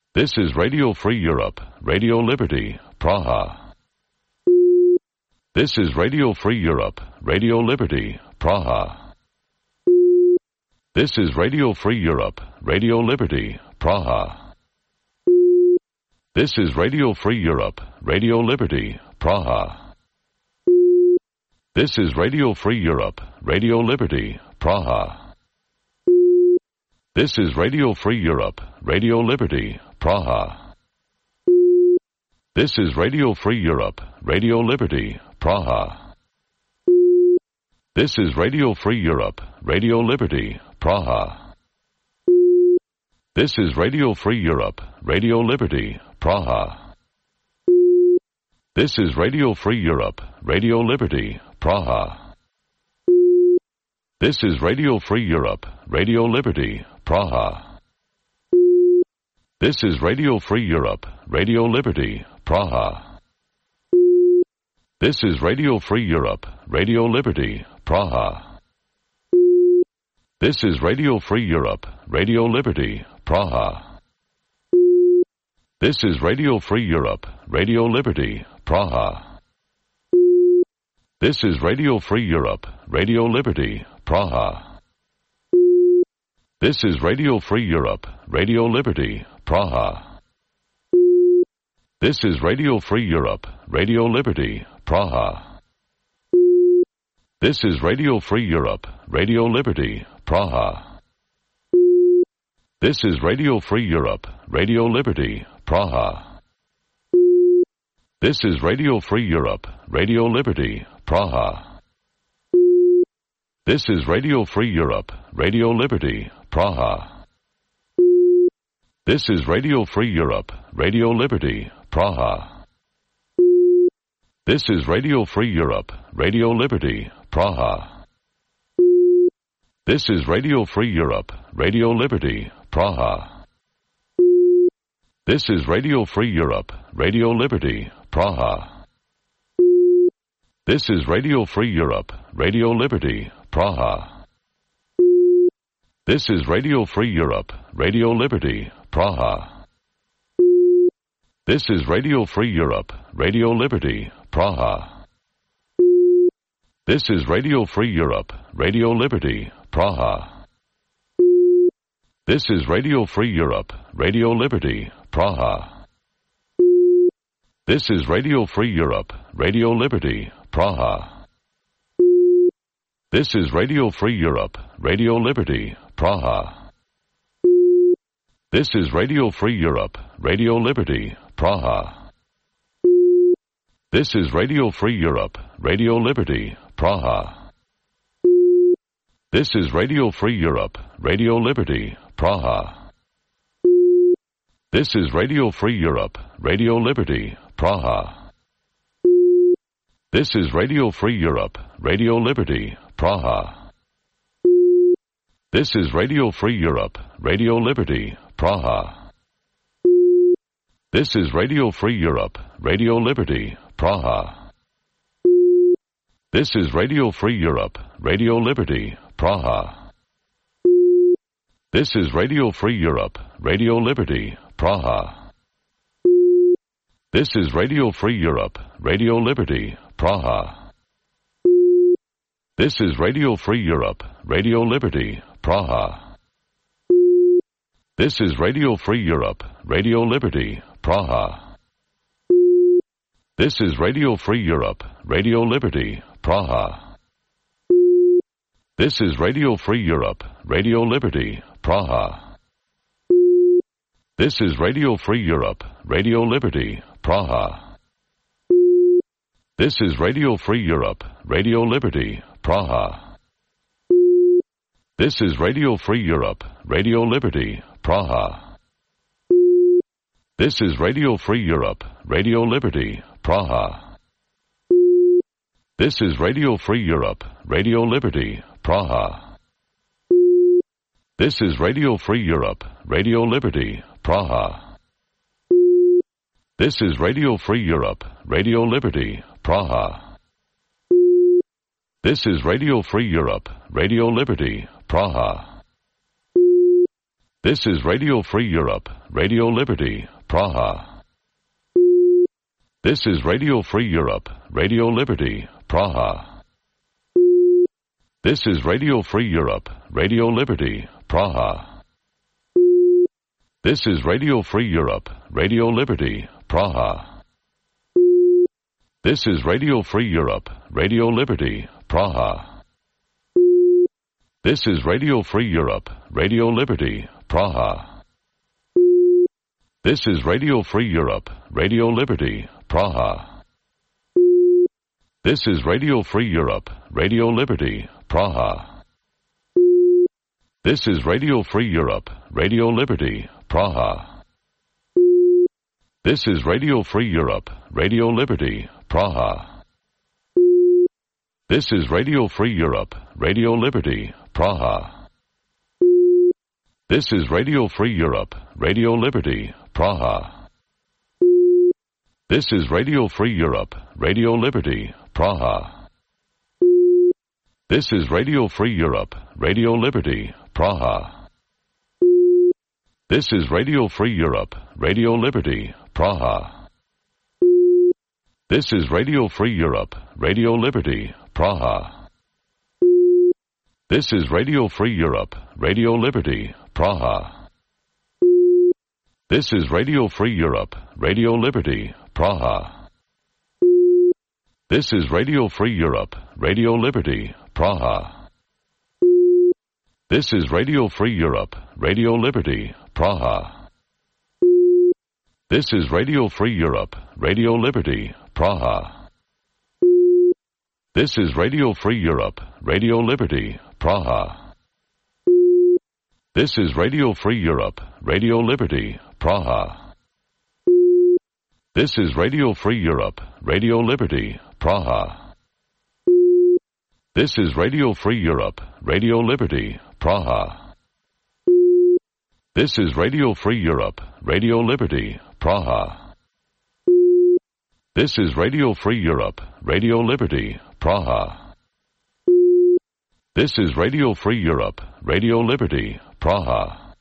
This is Radio Free Europe, Radio Liberty, Praha. This is Radio Free Europe, Radio Liberty, Praha. This is Radio Free Europe, Radio Liberty, Praha. This is Radio Free Europe, Radio Liberty, Praha. This is Radio Free Europe, Radio Liberty, Praha. This is Radio Free Europe, Radio Liberty, Praha. This is Radio Free Europe, Radio Liberty, Praha. This is Radio Free Europe, Radio Liberty, Praha. This is Radio Free Europe, Radio Liberty, Praha. This is Radio Free Europe, Radio Liberty, Praha. This is Radio Free Europe, Radio Liberty, Praha. This is Radio Free Europe, Radio Liberty, Praha. This is Radio Free Europe, Radio Liberty, Praha. This is Radio Free Europe, Radio Liberty, Praha. This is Radio Free Europe, Radio Liberty, Praha. This is Radio Free Europe, Radio Liberty, Praha. This is Radio Free Europe, Radio Liberty, Praha. This is Radio Free Europe, Radio Liberty, Praha. This is Radio Free Europe, Radio Liberty, Praha. This is Radio Free Europe, Radio Liberty, Praha. This is Radio Free Europe, Radio Liberty, Praha. This is Radio Free Europe, Radio Liberty, Praha. This is Radio Free Europe, Radio Liberty, Praha. This is Radio Free Europe, Radio Liberty, Praha. This is Radio Free Europe, Radio Liberty, Praha. This is Radio Free Europe, Radio Liberty, Praha. This is Radio Free Europe, Radio Liberty, Praha. This is Radio Free Europe, Radio Liberty, Praha. This is Radio Free Europe, Radio Liberty, Praha. This is Radio Free Europe, Radio Liberty, Praha. This is Radio Free Europe, Radio Liberty, Praha. This is Radio Free Europe, Radio Liberty, Praha. This is Radio Free Europe, Radio Liberty, Praha. This is Radio Free Europe, Radio Liberty, Praha. This is Radio Free Europe, Radio Liberty, Praha. This is Radio Free Europe, Radio Liberty, Praha. This is Radio Free Europe, Radio Liberty, Praha. This is Radio Free Europe, Radio Liberty, Praha. This is Radio Free Europe, Radio Liberty, Praha. This is Radio Free Europe, Radio Liberty, Praha. This is Radio Free Europe, Radio Liberty, Praha. This is Radio Free Europe, Radio Liberty, Praha. This is Radio Free Europe, Radio Liberty, Praha. This is Radio Free Europe, Radio Liberty, Praha. This is Radio Free Europe, Radio Liberty, Praha. This is Radio Free Europe, Radio Liberty, Praha. This is Radio Free Europe, Radio Liberty, Praha. This is Radio Free Europe, Radio Liberty, Praha. This is Radio Free Europe, Radio Liberty, Praha. This is Radio Free Europe, Radio Liberty, Praha. This is Radio Free Europe, Radio Liberty, Praha. This is Radio Free Europe, Radio Liberty, Praha. This is Radio Free Europe, Radio Liberty, Praha. This is Radio Free Europe, Radio Liberty, Praha. This is Radio Free Europe, Radio Liberty, Praha. This is Radio Free Europe, Radio Liberty, Praha. This is Radio Free Europe, Radio Liberty, Praha. This is Radio Free Europe, Radio Liberty, Praha. This is Radio Free Europe, Radio Liberty, Praha. This is Radio Free Europe, Radio Liberty, Praha. This is Radio Free Europe, Radio Liberty, Praha. This is Radio Free Europe, Radio Liberty, Praha. This is Radio Free Europe, Radio Liberty, Praha. This is Radio Free Europe, Radio Liberty, Praha. This is Radio Free Europe, Radio Liberty, Praha. This is Radio Free Europe, Radio Liberty, Praha. This is Radio Free Europe, Radio Liberty, Praha. This is Radio Free Europe, Radio Liberty, Praha. This is Radio Free Europe, Radio Liberty, Praha. This is Radio Free Europe, Radio Liberty, Praha. This is Radio Free Europe, Radio Liberty, Praha. This is Radio Free Europe, Radio Liberty, Praha. This is Radio Free Europe, Radio Liberty, Praha. This is Radio Free Europe, Radio Liberty, Praha. This is Radio Free Europe, Radio Liberty, Praha. This is Radio Free Europe, Radio Liberty, Praha. This is Radio Free Europe, Radio Liberty, Praha. This is Radio Free Europe, Radio Liberty, Praha. This is Radio Free Europe, Radio Liberty, Praha. This is Radio Free Europe, Radio Liberty, Praha. This is Radio Free Europe, Radio Liberty, Praha. This is Radio Free Europe, Radio Liberty, Praha. This is Radio Free Europe, Radio Liberty, Praha.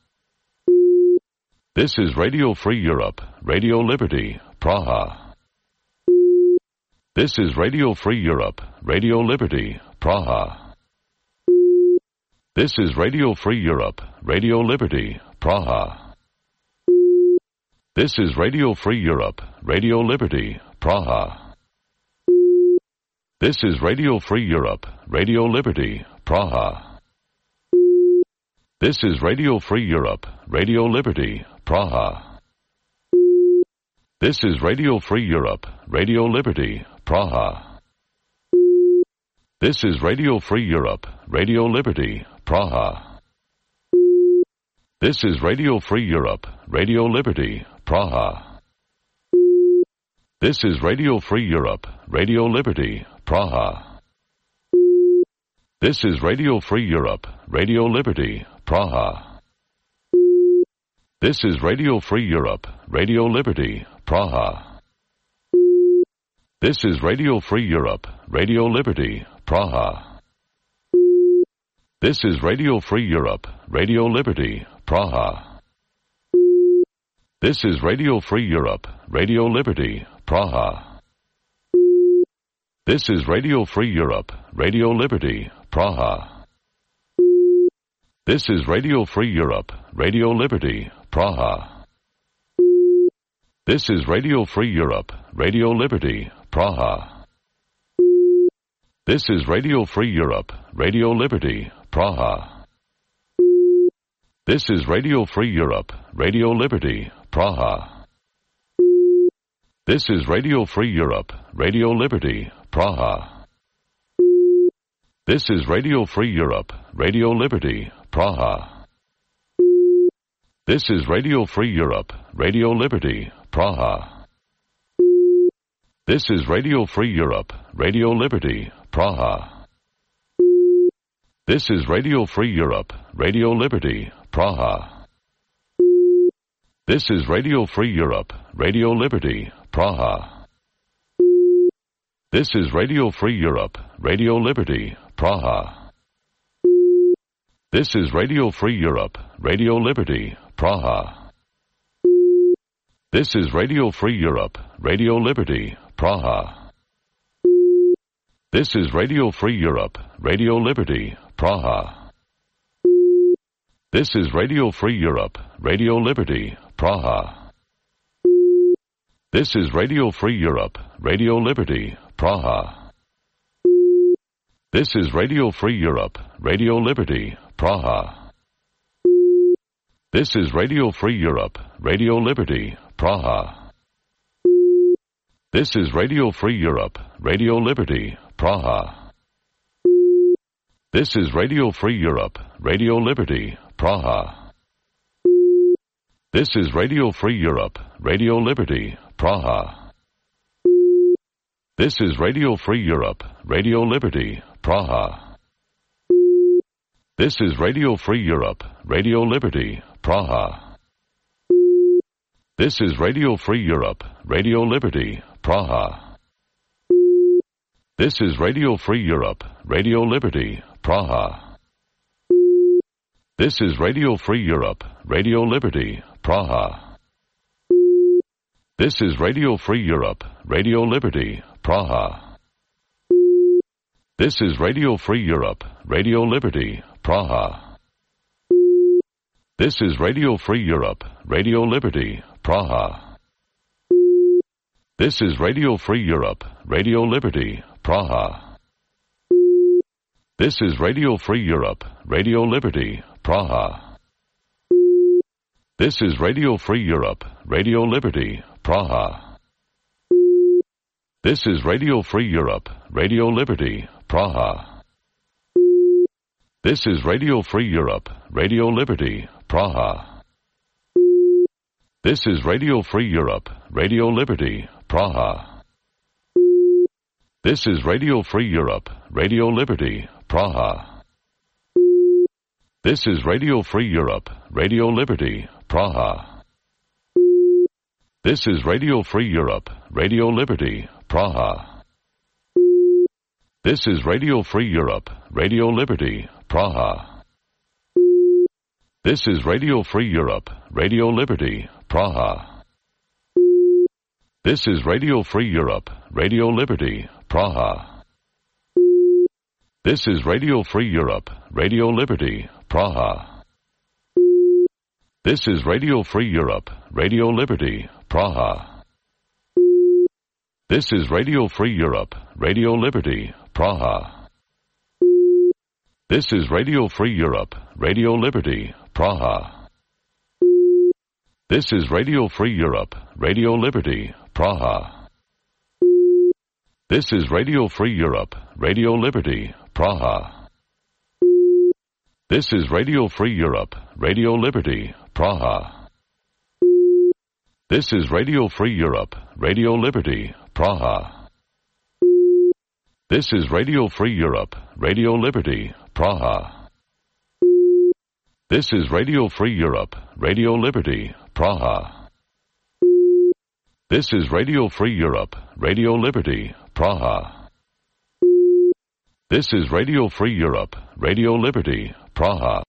This is Radio Free Europe, Radio Liberty, Praha. This is Radio Free Europe, Radio Liberty, Praha. This is Radio Free Europe, Radio Liberty, Praha. This is Radio Free Europe, Radio Liberty, Praha. This is Radio Free Europe, Radio Liberty, Praha. This is Radio Free Europe, Radio Liberty, Praha. This is Radio Free Europe, Radio Liberty, Praha. This is Radio Free Europe, Radio Liberty, Praha. This is Radio Free Europe, Radio Liberty, Praha. This is Radio Free Europe, Radio Liberty, Praha. This is Radio Free Europe, Radio Liberty, Praha. This is Radio Free Europe, Radio Liberty, Praha. This is Radio Free Europe, Radio Liberty, Praha. This is Radio Free Europe, Radio Liberty, Praha. This is Radio Free Europe, Radio Liberty, Praha. This is Radio Free Europe, Radio Liberty, Praha. This is Radio Free Europe, Radio Liberty, Praha. This is Radio Free Europe, Radio Liberty, Praha. This is Radio Free Europe, Radio Liberty, Praha. This is Radio Free Europe, Radio Liberty, Praha. This is Radio Free Europe, Radio Liberty, Praha. This is Radio Free Europe, Radio Liberty, Praha. This is Radio Free Europe, Radio Liberty, Praha. This is Radio Free Europe, Radio Liberty, Praha. This is Radio Free Europe, Radio Liberty, Praha. This is Radio Free Europe, Radio Liberty, Praha. This is Radio Free Europe, Radio Liberty, Praha. This is Radio Free Europe, Radio Liberty, Praha. This is Radio Free Europe, Radio Liberty, Praha. This is Radio Free Europe, Radio Liberty, Praha. This is Radio Free Europe, Radio Liberty, Praha. This is Radio Free Europe, Radio Liberty, Praha. This is Radio Free Europe, Radio Liberty, Praha. This is Radio Free Europe, Radio Liberty, Praha. This is Radio Free Europe, Radio Liberty, Praha. This is Radio Free Europe, Radio Liberty, Praha. This is Radio Free Europe, Radio Liberty, Praha. This is Radio Free Europe, Radio Liberty, Praha. This is Radio Free Europe, Radio Liberty, Praha. This is Radio Free Europe, Radio Liberty, Praha. This is Radio Free Europe, Radio Liberty, Praha. This is Radio Free Europe, Radio Liberty, Praha. This is Radio Free Europe, Radio Liberty, Praha. This is Radio Free Europe, Radio Liberty, Praha. This is Radio Free Europe, Radio Liberty, Praha. This is Radio Free Europe, Radio Liberty, Praha. This is Radio Free Europe, Radio Liberty, Praha. This is Radio Free Europe, Radio Liberty, Praha. This is Radio Free Europe, Radio Liberty, Praha. This is Radio Free Europe, Radio Liberty, Praha. This is Radio Free Europe, Radio Liberty, Praha. This is Radio Free Europe, Radio Liberty, Praha. This is Radio Free Europe, Radio Liberty, Praha. This is Radio Free Europe, Radio Liberty, Praha. This is Radio Free Europe, Radio Liberty, Praha. This is Radio Free Europe, Radio Liberty, Praha. This is Radio Free Europe, Radio Liberty, Praha. This is Radio Free Europe, Radio Liberty, Praha. This is Radio Free Europe, Radio Liberty, Praha. This is Radio Free Europe, Radio Liberty, Praha. This is Radio Free Europe, Radio Liberty, Praha. This is Radio Free Europe, Radio Liberty, Praha. This is Radio Free Europe, Radio Liberty, Praha. This is Radio Free Europe, Radio Liberty, Praha. This is Radio Free Europe, Radio Liberty, Praha. This is Radio Free Europe, Radio Liberty, Praha. This is Radio Free Europe, Radio Liberty, Praha. This is Radio Free Europe, Radio Liberty, Praha. This is Radio Free Europe, Radio Liberty, Praha.